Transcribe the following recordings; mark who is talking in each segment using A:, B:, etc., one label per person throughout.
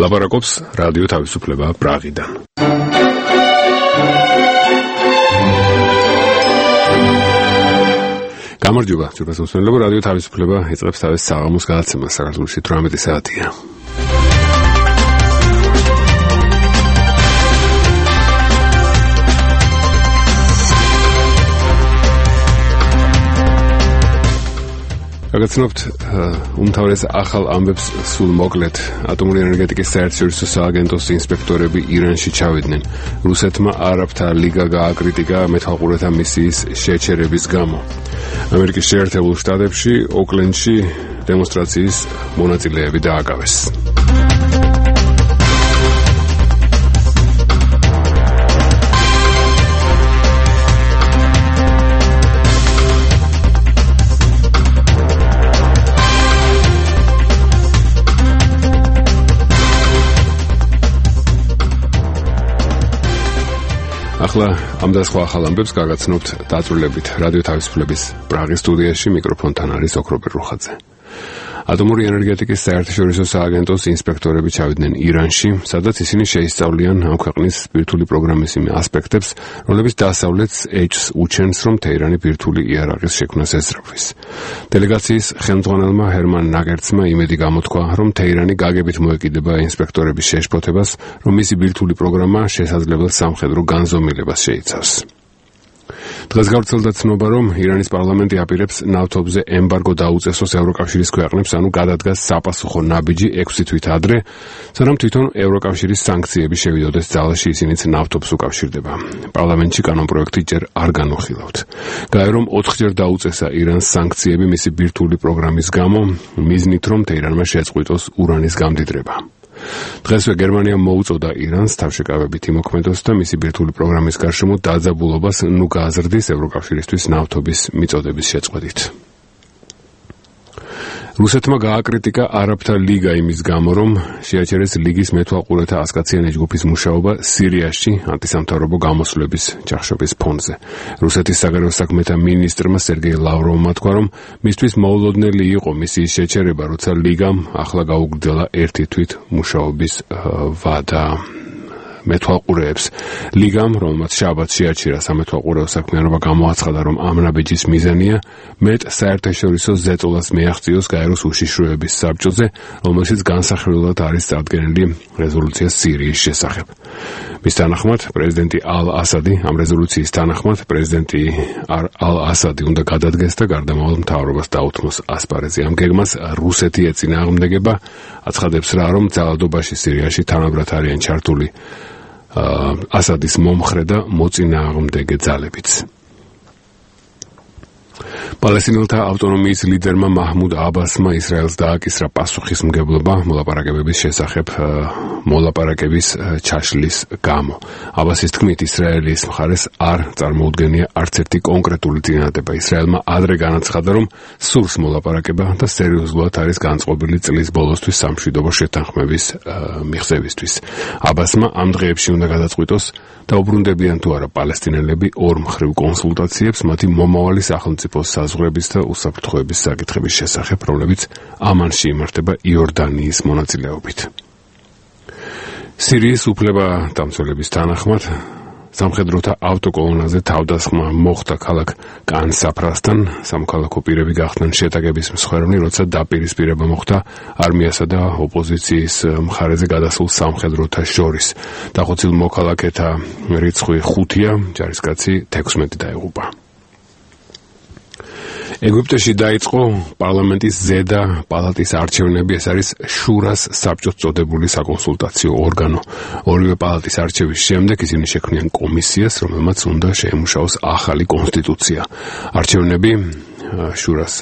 A: ლაპარაკობს რადიო თავისუფლება პრაღიდან. გამარჯობა, ძვირფას მსმენელებო, რადიო თავისუფლება იწყებს თავის საღამოს გადაცემას. საქართველოში 18 საათია. გაგაცნობთ უმთავრეს ახალ ამბებს სულ მოკლედ. ატომური ენერგეტიკის საერთაშორისო სააგენტოს ინსპექტორები ირანში ჩავიდნენ. რუსეთმა არაბთა ლიგა გააკრიტიკა მეთვალყურეთა მისიის შეჩერების გამო. ამერიკის შეერთებულ შტატებში ოკლენდში დემონსტრაციის მონაწილეები დააკავეს. ახლა ამ და სხვა ახალ ამბებს გაგაცნობთ დაწვრილებით. რადიო თავისუფლების პრაღის სტუდიაში მიკროფონთან არის ოქროპერ რუხაძე. ატომური ენერგეტიკის საერთაშორისო სააგენტოს ინსპექტორები ჩავიდნენ ირანში, სადაც ისინი შეისწავლიან ამ ქვეყნის ბირთვული პროგრამის იმ ასპექტებს, რომლებიც დასავლეთს ეჭვს უჩენს, რომ თეირანი ბირთვული იარაღის შექმნას ეძრავის. დელეგაციის ხელმძღვანელმა ჰერმან ნაგერცმა იმედი გამოთქვა, რომ თეირანი გაგებით მოეკიდება ინსპექტორების შეშფოთებას, რომ მისი ბირთვული პროგრამა შესაძლებელ სამხედრო განზომილებას შეიცავს. დღეს გავრცელდა ცნობა, რომ ირანის პარლამენტი აპირებს ნავთობზე ემბარგო დაუწესოს ევროკავშირის ქვეყნებს, ანუ გადადგას საპასუხო ნაბიჯი 6 თვით ადრე, სანამ თვითონ ევროკავშირის სანქციები შევიდოდეს ძალაში, ისინიც ნავთობს უკავშირდება. პარლამენტში კანონპროექტი ჯერ არ განუხილავთ. გაირო, რომ 4-ჯერ დაუწესა ირანს სანქციები მისი ბირთვული პროგრამის გამო, მიზნით, რომ თეირანმა შეწყვიტოს ურანის გამდიდრება. დღესვე გერმანია მოუწოდა ირანს თავშეკავებით იმოქმედოს და მისი ბირთვული პროგრამის გარშემო დაძაბულობას ნუ გააზრდის ევროკავშირისთვის ნავთობის მიწოდების შეწყვეტით. რუსეთმა გააკრიტიკა არაბთა ლიგა იმის გამო, რომ შეაჩერეს ლიგის მეთვალყურეთა ასკაციანი ჯგუფის მუშაობა სირიაში ანტისამთავრობო გამოსვლების ჩახშობის ფონზე. რუსეთის საგარეო საქმეთა მინისტრმა სერგეი ლავროვმა თქვა, რომ მისთვის მოულოდნელი იყო მისიის შეჩერება, როცა ლიგამ ახლა გაუგრძელა 1 თვით მუშაობის ვადა მეთვალყურეებს. ლიგამ, რომელმაც შაბათს შეაჩერა სამეთვალყურეო საქმიანობა, გამოაცხადა, რომ ამ ნაბიჯის მიზანია მეტ საერთაშორისო ზეწოლას მიაღწიოს გაეროს უშიშროების საბჭოზე, რომელშიც განსახილველად არის წარდგენილი რეზოლუცია სირიის შესახებ. მის თანახმად პრეზიდენტი ალ-ასადი, ამ რეზოლუციის თანახმად პრეზიდენტი ალ-ასადი უნდა გადადგეს და გარდამავალ მთავრობას დაუთმოს ასპარეზი. ამ გეგმას რუსეთი ეწინააღმდეგება, აცხადებს რა, რომ ძალადობაში სირიაში თანაბრად არიან ჩართული ასადის მომხრე და მოწინააღმდეგე ძალებიც. პალესტინელთა ავტონომიის ლიდერმა მაჰმუდ აბასმა ისრაელს დააკისრა პასუხისმგებლობა მოლაპარაკებების შესახებ მოლაპარაკების ჩაშლის გამო. აბასის თქმით, ისრაელის მხარეს არ წარმოუდგენია არც ერთი კონკრეტული წინადადება. ისრაელმა ადრე განაცხადა, რომ სურს მოლაპარაკება და სერიოზულად არის განწყობილი წლის ბოლოსთვის სამშვიდობო შეთანხმების მიღწევისთვის. აბასმა ამ დღეებში უნდა გადაწყვიტოს, დაუბრუნდებიან თუ არა პალესტინელები ორ მხრივ კონსულტაციებს მათი მომავალი სახელმწიფოს საზღვრების და უსაფრთხოების საკითხების შესახებ, რომლებიც ამანში იმართება იორდანიის მონაწილეობით. სირიის უფლებადამცველების თანახმად სამხედროთა ავტოკოლონაზე თავდასხმა მოხდა ქალაქ კან-საფრასთან. სამოქალაქო პირები გახდნენ შეტაკების მსხვერპლი, როცა დაპირისპირება მოხდა არმიასა და ოპოზიციის მხარეზე გადასულ სამხედროთა შორის. დახოცილ მოქალაქეთა რიცხვი 5-ია, ჯარისკაცი 16 დაეღუპა. ეგვიპტეში დაიწყო პარლამენტის ზედა პალატის არჩევნები. ეს არის შურას საბჭოს წოდებული საკონსულტაციო ორგანო. ორივე პალატის არჩევის შემდეგ ისინი შექმნიან კომისიას, რომელმაც უნდა შეემუშაოს ახალი კონსტიტუცია. არჩევნები შურას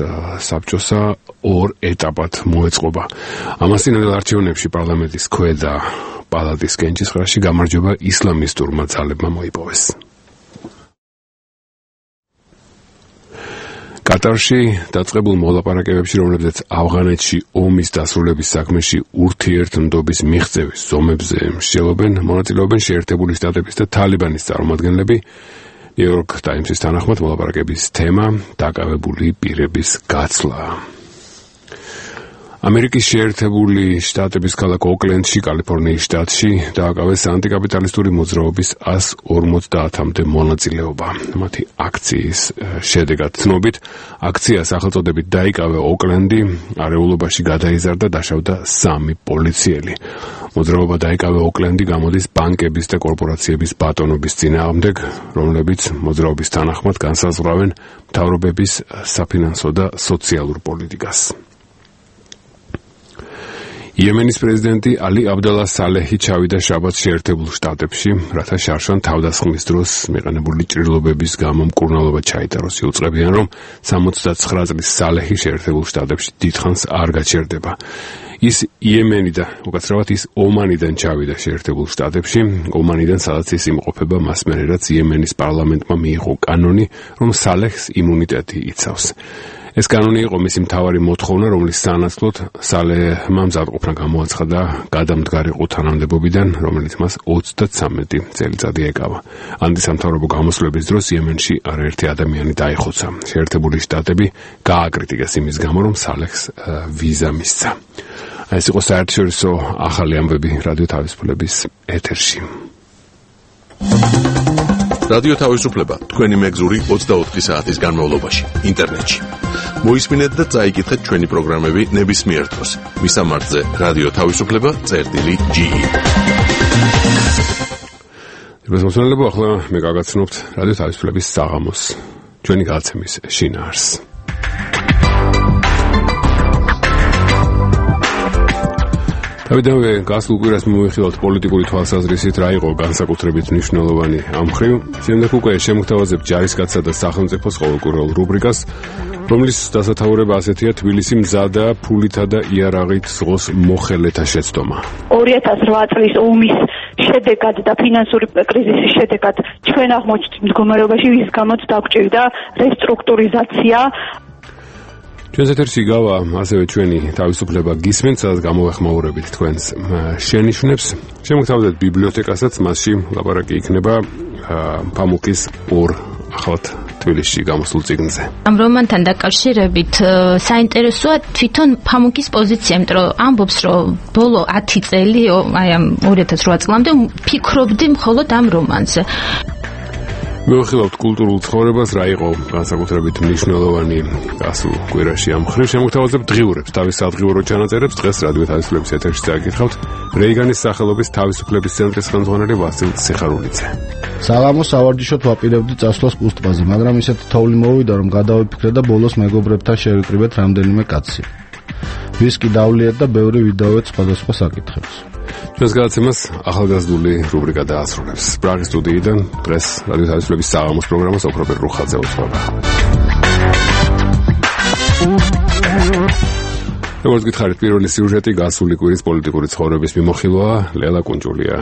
A: საბჭოსა 2 ეტაპად მოეწყობა. ამასთანავე არჩევნებში პარლამენტის ქვედა პალატის კენჭისყრაში გამარჯვება ისლამისტურმა ძალებმა მოიპოვეს. კატარში დაწყებულ მოლაპარაკებებში, რომლებზეც ავღანეთში ომის დასრულების საქმეში ურთიერთმდობის მიღწევის ზომებზე მსჯელობენ, მონაწილეობენ შეერთებული შტატების და თალიბანის წარმომადგენლები. ნიუ-იორკ ტაიმსის თანახმად მოლაპარაკების თემა დაკავებული პირების გაცვლა. ამერიკის შეერთებული შტატების ქალაქ ოკლენდში, კალიფორნიის შტატში დააკავეს ანტიკაპიტალისტური მოძრაობის 150-მდე მონაწილეობა. მათი აქციის შედეგად ცნობით, აქცია სახელწოდებით დაიკავე ოკლენდი, არეულობაში გადაიზარდა, დაშავდა 3 პოლიციელი. მოძრაობა დაიკავე ოკლენდი გამოდის ბანკების და კორპორაციების ბატონობის წინააღმდეგ, რომლებიც მოძრაობის თანახმად განსაზღვრავენ მთავრობების საფინანსო და სოციალურ პოლიტიკას. იემენის პრეზიდენტი ალი აბდალა სალეჰი ჩავიდა შაბათს შეერთებულ შტატებში, რათა შარშან თავდასხმის დროს მიყენებული ჭრილობების გამო მკურნალობა ჩაიტაროს. იუწყებიან, რომ 69 წლის სალეჰი შეერთებულ შტატებში დიდხანს არ გაჩერდება. ის იემენიდან, უკაცრავად ის ომანიდან ჩავიდა შეერთებულ შტატებში, ომანიდან სადაც ის იმყოფება მას მერე, რაც იემენის პარლამენტმა მიიღო კანონი, რომ სალეჰს იმუნიტეტი იცავს. ეს კანონი იყო მისი მთავარი მოთხოვნა, რომლის სანაცვლოდ სალეჰმა მზადყოფნა გამოაცხადა გადამდგარიყო თანამდებობიდან, რომელიც მას 33 წელიწადი ეკავა. ანტისამთავრობო გამოსვლების დროს იემენში არაერთი ადამიანი დაიხოცა. შეერთებული შტატები გააკრიტიკეს იმის გამო, რომ სალეჰს ვიზა მისცა. ეს იყო საერთაშორისო ახალი ამბები რადიო თავისუფლების ეთერში.
B: რადიო თავისუფლება თქვენი მეგზური 24 საათის განმავლობაში ინტერნეტში. მოისმინეთ და წაიკითხეთ ჩვენი პროგრამები ნებისმიერ დროს. მისამართზე რადიო თავისუფლება.ge.
A: მოსმენელებო, ახლა მე გაგაცნობთ რადიო თავისუფლების საღამოს, ჩვენი გაცემის შინაარსს. დავიდანვე გასულ კვირას მივიხილავთ პოლიტიკური თვალსაზრისით რა იყო განსაკუთრებით მნიშვნელოვანი ამ მხრივ. შემდეგ უკვე შემოგთავაზებთ ჯარისკაცსა და სახელმწიფოს ყოველკვირეულ რუბრიკას, რომლის დასათაურება ასეთია: თბილისი მზადა ფულითა და იარაღით ზღოს მოხელეთა შეცდომა.
C: 2008 წლის ომის შედეგად და ფინანსური კრიზისის შედეგად ჩვენ აღმოჩნდით მდგომარეობაში, ვის გამოც დაგვჭირდა რესტრუქტურიზაცია.
A: ჩვენს ეთერში გავა ასევე ჩვენი თავისუფლება გისმენთ, სადაც გამოვეხმაურებით თქვენს შენიშვნებს. შემოგთავაზებთ ბიბლიოთეკასაც, მასში ლაპარაკი იქნება ფამუკის 2 ახლად თბილისში გამოსულ წიგნზე.
D: ამ რომანთან დაკავშირებით საინტერესოა თვითონ ფამუკის პოზიცია, იმიტომ რომ ამბობს, რომ ბოლო 10 წელი, აი ამ 2008 წლამდე ფიქრობდი მხოლოდ ამ რომანზე.
A: მივიხილავთ კულტურულ ცხოვრებას, რა იყო განსაკუთრებით მნიშვნელოვანი გასულ კვირაში ამ მხრივ. შემოგთავაზებთ დღიურებს, თავის სადღიურო ჩანაწერებს. დღეს რადიო თავისუფლების ეთერში წაიკითხავთ რეიგანის სახელობის თავისუფლების ცენტრის ხელმძღვანელი ვასილ სიხარულიძე.
E: საღამოს სავარჯიშოდ ვაპირებდი წასვლას კუსტბაზე, მაგრამ ისეთი თოვლი მოვიდა, რომ გადავიფიქრე და ბოლოს მეგობრებთან შევიკრიბეთ რამდენიმე კაცი. ვისკი დავლიეთ და ბევრი ვიდაოეთ სხვადასხვა საკითხებს. ჩვენს გადაცემას ახალგაზრდული რუბრიკა დაასრულებს. პრაღის სტუდიიდან დღეს რადიო თავისუფლების საღამოს პროგრამას ოქროპერ რუხაძე უთხრობა. როგორც გითხარით, პირველი სიუჟეტი გასული კვირის პოლიტიკური ცხოვრების მიმოხილვაა. ლელა კუნჯულია.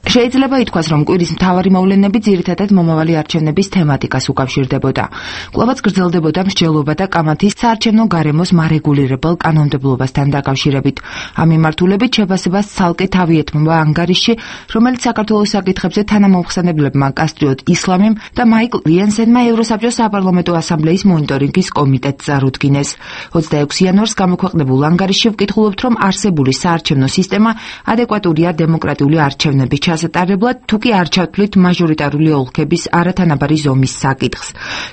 F: შეიძლება ითქვას, რომ კვირის მთავარი მოვლენები ძირითადად მომავალი არჩევნების თემატიკას უკავშირდებოდა. კვლავაც გრძელდებოდა მსჯელობა და კამათის საარჩევნო გარემოს მარეგულირებელ კანონმდებლობასთან დაკავშირებით. ამ მიმართულებით შეფასებას ცალკე თავი ეთმობა ანგარიშში, რომელიც საქართველოს საკითხებზე თანამომხსენებლებმა კასტრიოტ ისლამიმ და მაიკლ რიენსენმა ევროსაბჭოს საპარლამენტო ასამბლეის მონიტორინგის კომიტეტს წარუდგინეს. 26 იანვარს გამოქვეყნებულ ანგარიშში ვკითხულობთ, რომ არსებული საარჩევნო სისტემა ადეკვატურია დემოკრატიული არჩევნების ჩასატარებლად, თუკი არ ჩათვლით მაჟორიტარული ოლქების არათანაბარი ზომის საკითხს.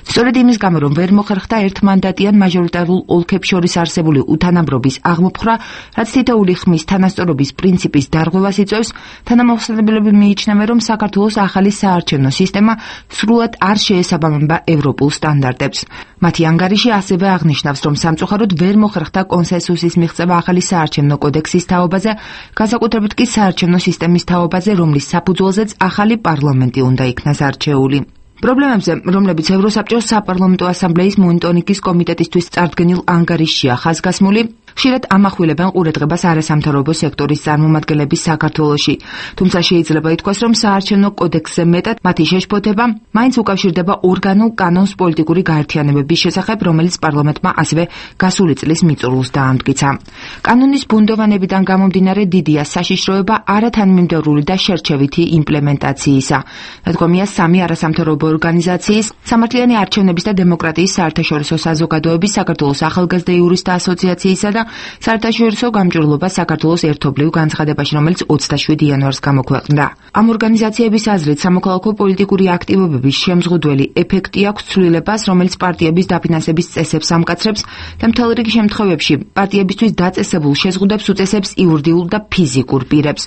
F: სწორედ იმის გამო, რომ ვერ მოხერხდა ერთმანდატიან მაჟორიტარულ ოლქებს შორის არსებული უთანაბრობის აღმოფხვრა, რაც თითოეული ხმის თანასწორობის პრინციპის დარღვევას იწვევს, თანამომხსენებლები მიიჩნევენ, რომ საქართველოს ახალი საარჩევნო სისტემა სრულად არ შეესაბამება ევროპულ სტანდარტებს. მათი ანგარიში ასევე აღნიშნავს, რომ სამწუხაროდ ვერ მოხერხდა კონსენსუსის მიღწევა ახალი საარჩევნო კოდექსის თაობაზე, განსაკუთრებით კი საარჩევნო სისტემის თაობაზე, რომლის საფუძველზეც ახალი პარლამენტი უნდა იქნას არჩეული. პრობლემებზე, რომლებიც ევროსაბჭოს საპარლამენტო ასამბლეის მონიტორინგის კომიტეტისთვის წარდგენილ ანგარიშშია ხაზგასმული, ხშირად ამახვილებენ ყურადღებას არასამთავრობო სექტორის წარმომადგენლების საქართველოში. თუმცა შეიძლება ითქვას, რომ საარჩევნო კოდექსზე მეტად მათი შეშფოთება მაინც უკავშირდება ორგანულ კანონს პოლიტიკური გაერთიანებების შესახებ, რომელიც პარლამენტმა ასევე გასული წლის მიწურულს დაამტკიცა. კანონის ბუნდოვანებიდან გამომდინარე დიდია საშიშროება არათანმიმდევრული და შერჩევითი იმპლემენტაციისა. ნათქვამია სამი არასამთავრობო ორგანიზაციის, სამართლიანი არჩევნების და დემოკრატიის საერთაშორისო საზოგადოების, საქართველოს ახალგაზრდა იურისტთა ასოციაციისა და საერთაშორისო გამჭვირვალობა საქართველოს ერთობლივ განცხადებაში, რომელიც 27 იანვარს გამოქვეყნდა. ამ ორგანიზაციების აზრით, სამოქალაქო პოლიტიკური აქტივობების შემზღუდველი ეფექტი აქვს ცვლილებას, რომელიც პარტიების დაფინანსების წესებს ამკაცრებს და მთელ რიგ შემთხვევებში პარტიებისთვის დაწესებულ შეზღუდვებს უწესებს იურიდიულ და ფიზიკურ პირებს.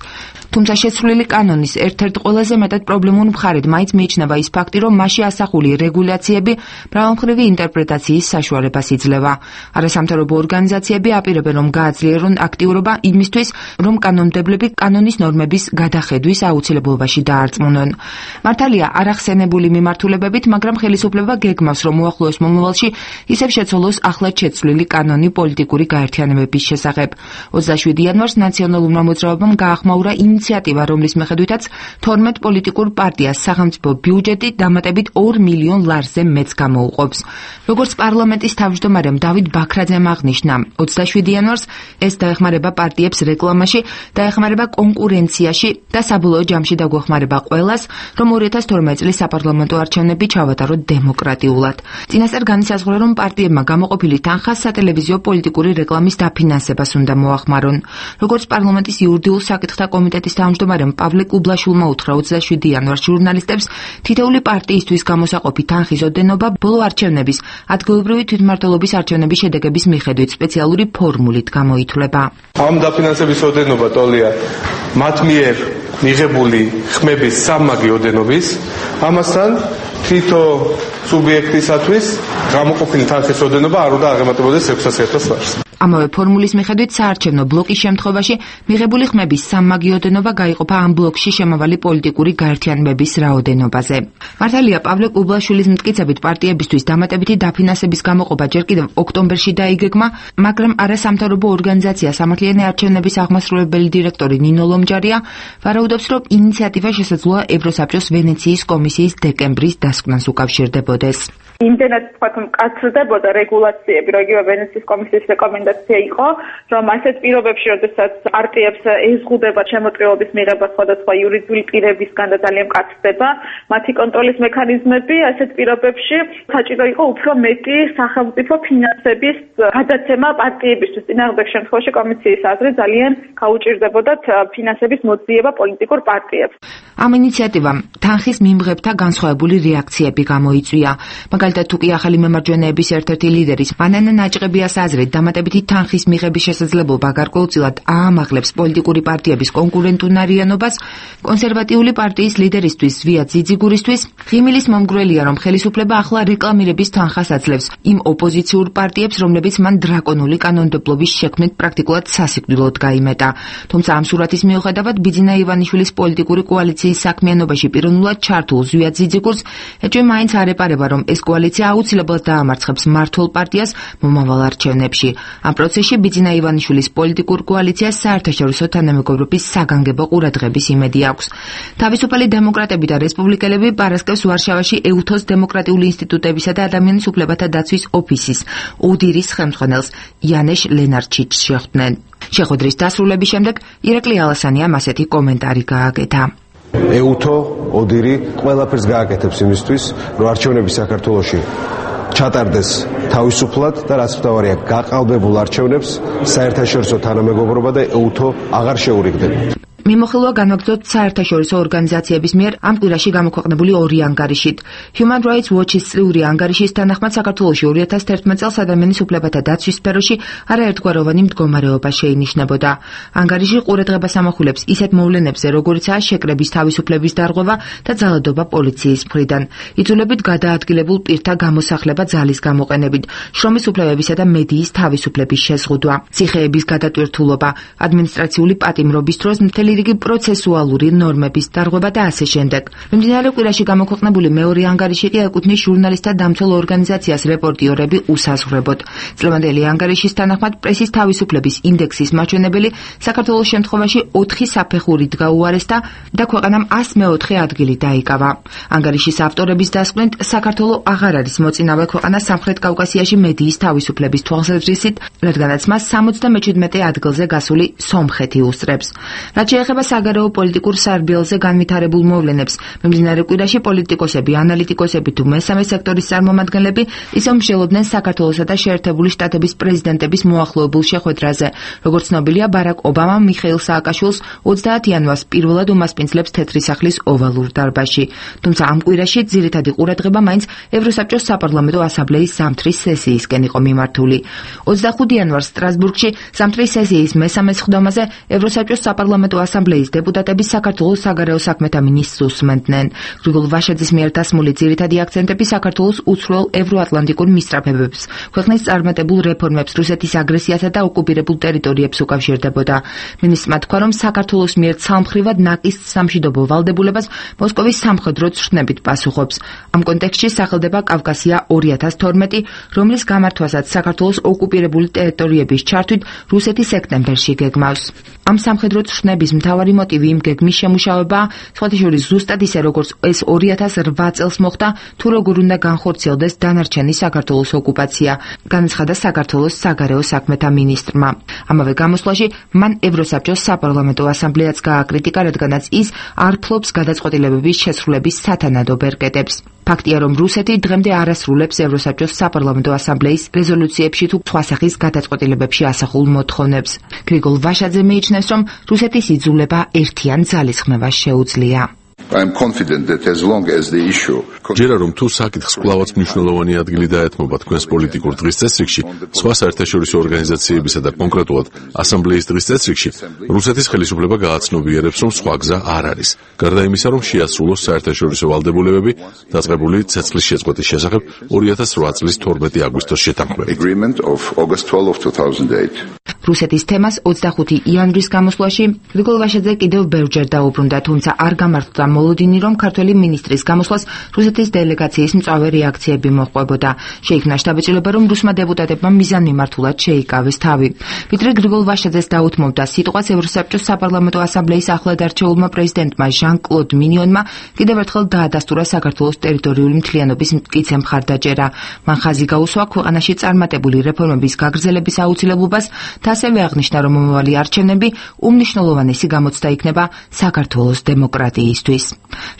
F: თუმცა შეცვლილი კანონის ერთ-ერთ ყველაზე მეტად პრობლემურ მხარედ მაინც მიიჩნევა ის ფაქტი, რომ მასში ასახული რეგულაციები მრავალმხრივი ინტერპრეტაციის საშუალებას იძლევა. არასამთავრობო ორგანიზაციები აპირებენ, რომ გააძლიერონ აქტიურობა იმისთვის, რომ კანონმდებლები კანონის ნორმების გადახედვის აუცილებლობაში დაარწმუნონ. მართალია არახსენებული მიმართულებებით, მაგრამ ხელისუფლება გეგმავს, რომ უახლოეს მომავალში ისევ შეცვალოს ახლად შეცვლილი კანონი პოლიტიკური გაერთიანებების შესახებ. 27 იანვარს ნაციონალურმა მოძრაობამ გაახმაურა ინიციატივა, რომლის მიხედვითაც 12 პოლიტიკურ პარტიას სახელმწიფო ბიუჯეტი დამატებით 2 მილიონ ლარზე მეც გამოუყოფს. როგორც პარლამენტის თავმჯდომარემ დავით ბაქრაძემ აღნიშნა, 27 იანვარს ეს დაეხმარება პარტიებს რეკლამაში, დაეხმარება კონკურენციაში და საბოლოო ჯამში დაგვეხმარება ყველას, რომ 2012 წლის საპარლამენტო არჩევნები ჩავატაროთ დემოკრატიულად. წინასწარ განისაზღვრა, რომ პარტიებმა გამოყოფილი თანხა სატელევიზიო პოლიტიკური რეკლამის დაფინანსებას უნდა მოახმარონ. როგორც პარლამენტის იურიდიულ საკითხთა კომიტეტის თავმჯდომარემ პავლე კუბლაშვილმა უთხრა 27 იანვარს ჟურნალისტებს, თითოეული პარტიისთვის გამოსაყოფი თანხის ოდენობა ბოლო არჩევნების, ადგილობრივი თვითმმართველობის არჩევნების შედეგების მიხედვით სპეციალური ფორმულით გამოითვლება.
G: ამ დაფინანსების ოდენობა ტოლია მათ მიერ მიღებული ხმების სამმაგი ოდენობის, ამასთან თითო სუბიექტისათვის გამოყოფილი თანხის ოდენობა არ უნდა აღემატებოდეს 600,000 ლარს.
F: ამავე ფორმულის მიხედვით საარჩევნო ბლოკის შემთხვევაში მიღებული ხმების სამმაგი ოდენობა გაიყოფა ამ ბლოკში შემავალი პოლიტიკური გაერთიანებების რაოდენობაზე. მართალია, პავლე კუბლაშვილის მტკიცებით პარტიებისთვის დამატებითი დაფინანსების გამოყოფა ჯერ კიდევ ოქტომბერში დაიგეგმა, მაგრამ არასამთავრობო ორგანიზაცია სამართლიანი არჩევნების აღმასრულებელი დირექტორი ნინო ლომჯარია ვარაუდობს, რომ ინიციატივა შესაძლოა ევროსაბჭოს ვენეციის კომისიის დეკემბრის დასკვნას უკავშირდებოდეს.
C: იმდენად თქვათ მკაცრდებოდა რეგულაციები, რომ იგივე ვენეციის კომისიის რეკომენდაცია იყო, რომ ასეთ პირობებში, როდესაც პარტიებს ეზღუდება შემოწირულობის მიღება სხვადასხვა იურიდიული პირებისგან და ძალიან მკაცრდება მათი კონტროლის მექანიზმები, ასეთ პირობებში საჭირო იყო უფრო მეტი სახელმწიფო ფინანსების გადაცემა პარტიებისთვის. წინააღმდეგ შემთხვევაში კომისიის აზრით ძალიან გაუჭირდებოდათ ფინანსების მოძიება პოლიტიკურ პარტიებს.
F: ამ ინიციატივამ თანხის მიმღებთა განსხვავებული რეაქციები გამოიწვია. მაგალითად, თუ კი ახალი მემარჯვენეების ერთ-ერთი ლიდერის მანანა ნაჭყებიას აზრით, დამატებითი თანხის მიღების შესაძლებლობა გარკვეულწილად აამაღლებს პოლიტიკური პარტიების კონკურენტუნარიანობას, კონსერვატიული პარტიის ლიდერისთვის ზვია ძიძიგურისთვის ღიმილის მომგვრელია, რომ ხელისუფლება ახლა რეკლამირების თანხას აძლევს იმ ოპოზიციურ პარტიებს, რომლებიც მან დრაკონული კანონმდებლობის შექმნით პრაქტიკულად სასიკვდილოდ გაიმეტა. თუმცა ამ სურათის მიუხედავად, ბიძინა ივანიშვილის პოლიტიკური კოალიციის საქმიანობაში პიროვნულად ჩართულ ზვია ძიძიგურს ეჭვი მაინც არ ეპარება, რომ ეს კოალიცია აუცილებლად დაამარცხებს მმართველ პარტიას მომავალ არჩევნებში. ამ პროცესში ბიძინა ივანიშვილის პოლიტიკურ კოალიციას საერთაშორისო თანამეგობრობის საგანგებო ყურადღების იმედი აქვს. თავისუფალი დემოკრატები და რესპუბლიკელები პარასკევს ვარშავაში ეუთოს დემოკრატიული ინსტიტუტებისა და ადამიანის უფლებათა დაცვის ოფისის ოდირის ხელმძღვანელს იანეშ ლენარჩიჩს შეხვდნენ. შეხვედრის დასრულების შემდეგ ირაკლი ალასანიამ ასეთი კომენტარი გააკეთა.
H: ეუთო ოდირი ყველაფერს გააკეთებს იმისთვის, რომ არჩევნები საქართველოში ჩატარდეს თავისუფლად და რაც მთავარია, გაყალბებულ არჩევნებს საერთაშორისო თანამეგობრობა და ეუთო აღარ შეურიგდება.
F: მიმოხილვა განაგრძოთ საერთაშორისო ორგანიზაციების მიერ ამ კვირაში გამოქვეყნებული ორი ანგარიშით. Human Rights Watch-ის წლიური ანგარიშის თანახმად საქართველოში 2011 წელს ადამიანის უფლებათა დაცვის სფეროში არაერთგვაროვანი მდგომარეობა შეინიშნებოდა. ანგარიში ყურადღებას ამახვილებს ისეთ მოვლენებზე, როგორიცაა შეკრების თავისუფლების დარღვევა და ძალადობა პოლიციის მხრიდან, იძულებით გადაადგილებულ პირთა გამოსახლება ძალის გამოყენებით, შრომის უფლებებისა და მედიის თავისუფლების შეზღუდვა, ციხეების გადატვირთულობა, ადმინისტრაციული პატიმრობის დროს მთელი რიგი პროცესუალური ნორმების დარღვევა და ასე შემდეგ. მიმდინარე კვირაში გამოქვეყნებული მეორე ანგარიში კი ეკუთვნის ჟურნალისტთა დამცველ ორგანიზაციას რეპორტიორები უსაზღვრებოდ. წლევანდელი ანგარიშის თანახმად პრესის თავისუფლების ინდექსის მაჩვენებელი საქართველოს შემთხვევაში 4 საფეხურით გაუარესდა და ქვეყანამ 104 ადგილი დაიკავა. ანგარიშის ავტორების დასკვნით, საქართველო აღარ არის მოწინავე ქვეყანა სამხრეთ კავკასიაში მედიის თავისუფლების თვალსაზრისით, რადგანაც მას 77 ადგილზე გასული სომხეთი უსწრებს. რაც ეხება საგარეო პოლიტიკურ სარბიელზე განვითარებულ მოვლენებს. მიმდინარე კვირაში პოლიტიკოსები, ანალიტიკოსები თუ მესამე სექტორის წარმომადგენლები ისევ მსჯელობდნენ საქართველოსა და შეერთებული შტატების პრეზიდენტების მოახლოებულ შეხვედრაზე. Როგორც ცნობილია, ბარაკ ობამამ მიხეილ სააკაშვილს 30 იანვარს პირველად უმასპინძლებს თეთრი სახლის ოვალურ დარბაზში. თუმცა ამ კვირაში ძირითადი ყურადღება მაინც ევროსაბჭოს საპარლამენტო ასამბლეის ზამთრის სესიისკენ იყო მიმართული. 25 იანვარს სტრასბურგში ზამთრის სესიის მესამე სხდომაზე ევროსაბჭოს საპარლამენტო ასამბლეის დეპუტატები საქართველოს საგარეო საქმეთა მინისტრს უსმენდნენ. გრიგოლ ვაშაძის მიერ დასმული ძირითადი აქცენტები საქართველოს უცხოელ ევროატლანტიკურ მისწრაფებებს, ქვეყნის წარმატებულ რეფორმებს, რუსეთის აგრესიასა და ოკუპირებულ ტერიტორიებს უკავშირდებოდა. მინისტრმა თქვა, რომ საქართველოს მიერ ცალმხრივად ნაკის სამშვიდობო ვალდებულებას მოსკოვის სამხედრო ცხრნებით პასუხობს. ამ კონტექსტში სახელდება კავკასია 2012, რომლის გამართვასაც საქართველოს ოკუპირებული ტერიტორიების ჩართვით რუსეთი სექტემბერში გეგმავს. ამ სამხედრო ცხრნების მთავარი მოტივი იმ გეგმის შემუშავებაა, სხვათა შორის ზუსტად ისე როგორც ეს 2008 წელს მოხდა, თუ როგორ უნდა განხორციელდეს დანარჩენი საქართველოს ოკუპაცია, განაცხადა საქართველოს საგარეო საქმეთა მინისტრმა. ამავე გამოსვლაში მან ევროსაბჭოს საპარლამენტო ასამბლეაც გააკრიტიკა, რადგანაც ის არ ფლობს გადაწყვეტილებების შესრულების სათანადო ბერკეტებს. ფაქტია, რომ რუსეთი დღემდე არ ასრულებს ევროსაბჭოს საპარლამენტო ასამბლეის რეზოლუციებში თუ სხვა სახის გადაწყვეტილებებში ასახულ მოთხოვნებს. გრიგოლ ვაშაძე მიიჩნევს, რომ რუსეთის იძულება ერთიან ძალისხმევას შეუძლია.
B: ჯერა რომ თუ საკითხს კვლავაც მნიშვნელოვანი ადგილი დაეთმობა თქვენს პოლიტიკურ დღის წესრიგში, სხვა საერთაშორისო ორგანიზაციებისა და კონკრეტულად ასამბლეის დღის წესრიგში, რუსეთის ხელისუფლება გააცნობიერებს, რომ სხვა გზა არ არის. გარდა იმისა, რომ შეასრულოს საერთაშორისო ვალდებულებები დაწყებული ცეცხლის შეწყვეტის შესახებ 2008 წლის 12 აგვისტოს შეთანხმებით.
F: რუსეთის თემას 25 იანვრის გამოსვლაში გრიგოლ ვაშაძე კიდევ ბევრჯერ დაუბრუნდა, თუმცა არ გამართლა მოლოდინი, რომ ქართველი მინისტრის გამოსვლას რუსეთის დელეგაციის მწვავე რეაქციები მოჰყვებოდა. შეიქმნა შთაბეჭდილება, რომ რუსმა დეპუტატებმა მიზანმიმართულად შეიკავეს თავი. ვიდრე გრიგოლ ვაშაძეს დაუთმობდა სიტყვას, ევროსაბჭოს საპარლამენტო ასამბლეის ახლად არჩეულმა პრეზიდენტმა ჟან-კლოდ მინიონმა კიდევ ერთხელ დაადასტურა საქართველოს ტერიტორიული მთლიანობის მტკიცე მხარდაჭერა. მან ხაზი გაუსვა ქვეყანაში წარმატებული რეფორმების გაგრძელების აუცილებლობას და ასევე აღნიშნა, რომ მომავალი არჩევნები უმნიშვნელოვანესი გამოცდა იქნება საქართველოს დემოკრატიისთვის.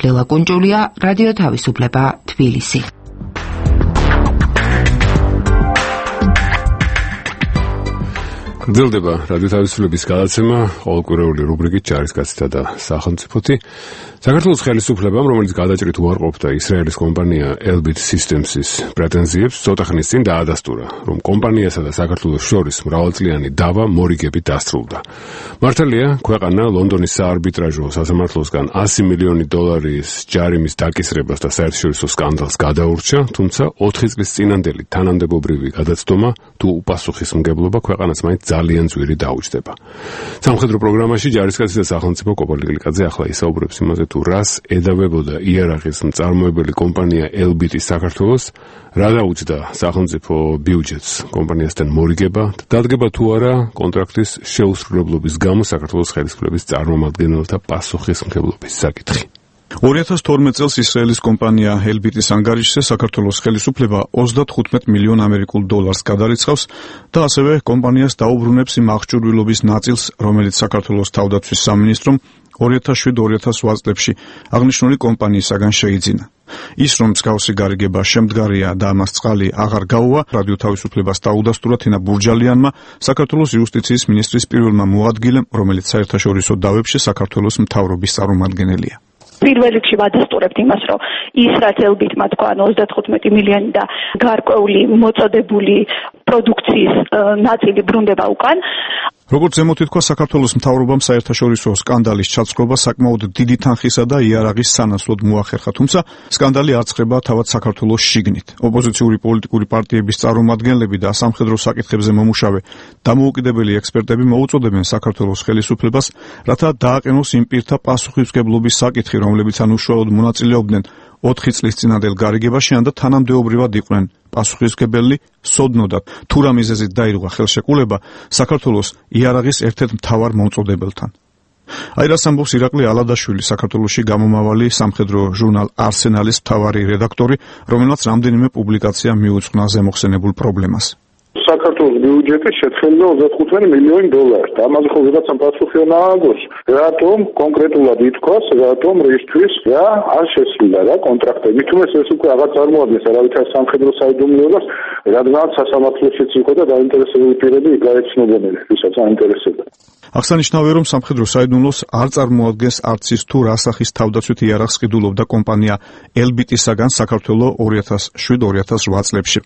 F: ლელა კუნჭულია, რადიო თავისუფლება, თბილისი.
A: გრძელდება რადიო თავისუფლების გადაცემა ყოველკვირეული რუბრიკით ჯარისკაცთა და სახელმწიფოთი. საქართველოს ხელისუფლებამ, რომელიც გადაჭრით უარყოფდა ისრაელის კომპანია Elbit Systems-ის პრეტენზიებს, ცოტა ხნის წინ დაადასტურა, რომ კომპანიასა და საქართველოს შორის მრავალწლიანი დავა მორიგებით დასრულდა. მართალია, ქვეყანა ლონდონის საარბიტრაჟო სასამართლოსგან $100 მილიონი ჯარიმის დაკისრებას და საერთაშორისო სკანდალს გადაურჩა, თუმცა 4 წლის წინანდელი თანამდებობრივი გადაცდომა თუ უპასუხისმგებლობა ქვეყანას მაინც ძალიან ძვირი დაუჯდება. სამხედრო პროგრამაში ჯარისკაცი და სახელმწიფო კოპალ გლიკაძე ახლა ისაუბრებს იმაზე, თუ რას ედავებოდა იარაღის მწარმოებელი კომპანია Elbit-ის საქართველოს, რა დაუჯდა სახელმწიფო ბიუჯეტს კომპანიასთან მორიგება და დადგება თუ არა კონტრაქტის შეუსრულებლობის გამო საქართველოს ხელისუფლების წარმომადგენელთა პასუხისმგებლობის საკითხი.
I: 2012 წელს ისრაელის კომპანია Elbit-ის ანგარიშზე საქართველოს ხელისუფლება $35 მილიონ გადარიცხავს და ასევე კომპანიას დაუბრუნებს იმ აღჭურვილობის ნაწილს, რომელიც საქართველოს თავდაცვის სამინისტრომ 2007-2008 წლებში აღნიშნული კომპანიისაგან შეიძინა. ის რომ მსგავსი გარიგება შემდგარია და ამას წყალი აღარ გაუვა, რადიო თავისუფლებას დაუდასტურა თინა ბურჯალიანმა, საქართველოს იუსტიციის მინისტრის პირველმა მოადგილემ, რომელიც საერთაშორისო დავებში საქართველოს მთავრობის წარმომადგენელია.
C: პირველ რიგში ვადასტურებთ იმას, რომ ის რაც Elbit-მა თქვა 35 მილიონი და გარკვეული მოწოდებული პროდუქციის ნაწილი ბრუნდება უკან.
I: როგორც ზემოთ ითქვა, საქართველოს მთავრობამ საერთაშორისო სკანდალის ჩაცხრობა საკმაოდ დიდი თანხისა და იარაღის სანაცვლოდ მოახერხა, თუმცა სკანდალი არ ცხება თავად საქართველოს შიგნით. ოპოზიციური პოლიტიკური პარტიების წარმომადგენლები და სამხედრო საკითხებზე მომუშავე დამოუკიდებელი ექსპერტები მოუწოდებენ საქართველოს ხელისუფლებას, რათა დააყენოს იმ პირთა პასუხისმგებლობის საკითხი, რომლებიც უშუალოდ მონაწილეობდნენ 4 წლის წინანდელ გარიგებაში და თანამდებობრივად იყვნენ პასუხისმგებელი, სოდნოდათ თუ რა მიზეზით დაირღვა ხელშეკრულება საქართველოს იარაღის ერთ-ერთ მთავარ მომწოდებელთან. აი რას ამბობს ირაკლი ალადაშვილი, საქართველოში გამომავალი სამხედრო ჟურნალ არსენალის მთავარი რედაქტორი, რომელმაც რამდენიმე პუბლიკაცია მიუძღვნა ზემოხსენებულ პრობლემას.
J: საქართველოს ბიუჯეტი შეთხელდა 25 მილიონი დოლარი. ამაზე ხო ვიღაცამ პასუხი უნდა ააგოს. რატომ კონკრეტულად ითქვას, რატომ რისთვის რა არ შესრულდა რა კონტრაქტები. თუმცა ეს უკვე აღარ წარმოადგენს არავითარ სამხედრო საიდუმლოებას, რადგანაც სასამართლოშიც იყო და დაინტერესებული პირები გაეცნობოდნენ, ვისაც აინტერესებდა.
I: აღსანიშნავია, რომ სამხედრო საიდუმლოს არ წარმოადგენს არც ის თუ რა სახის თავდაცვით იარაღს ყიდულობდა კომპანია ელბიტისაგან საქართველოს 2007-2008 წლებში.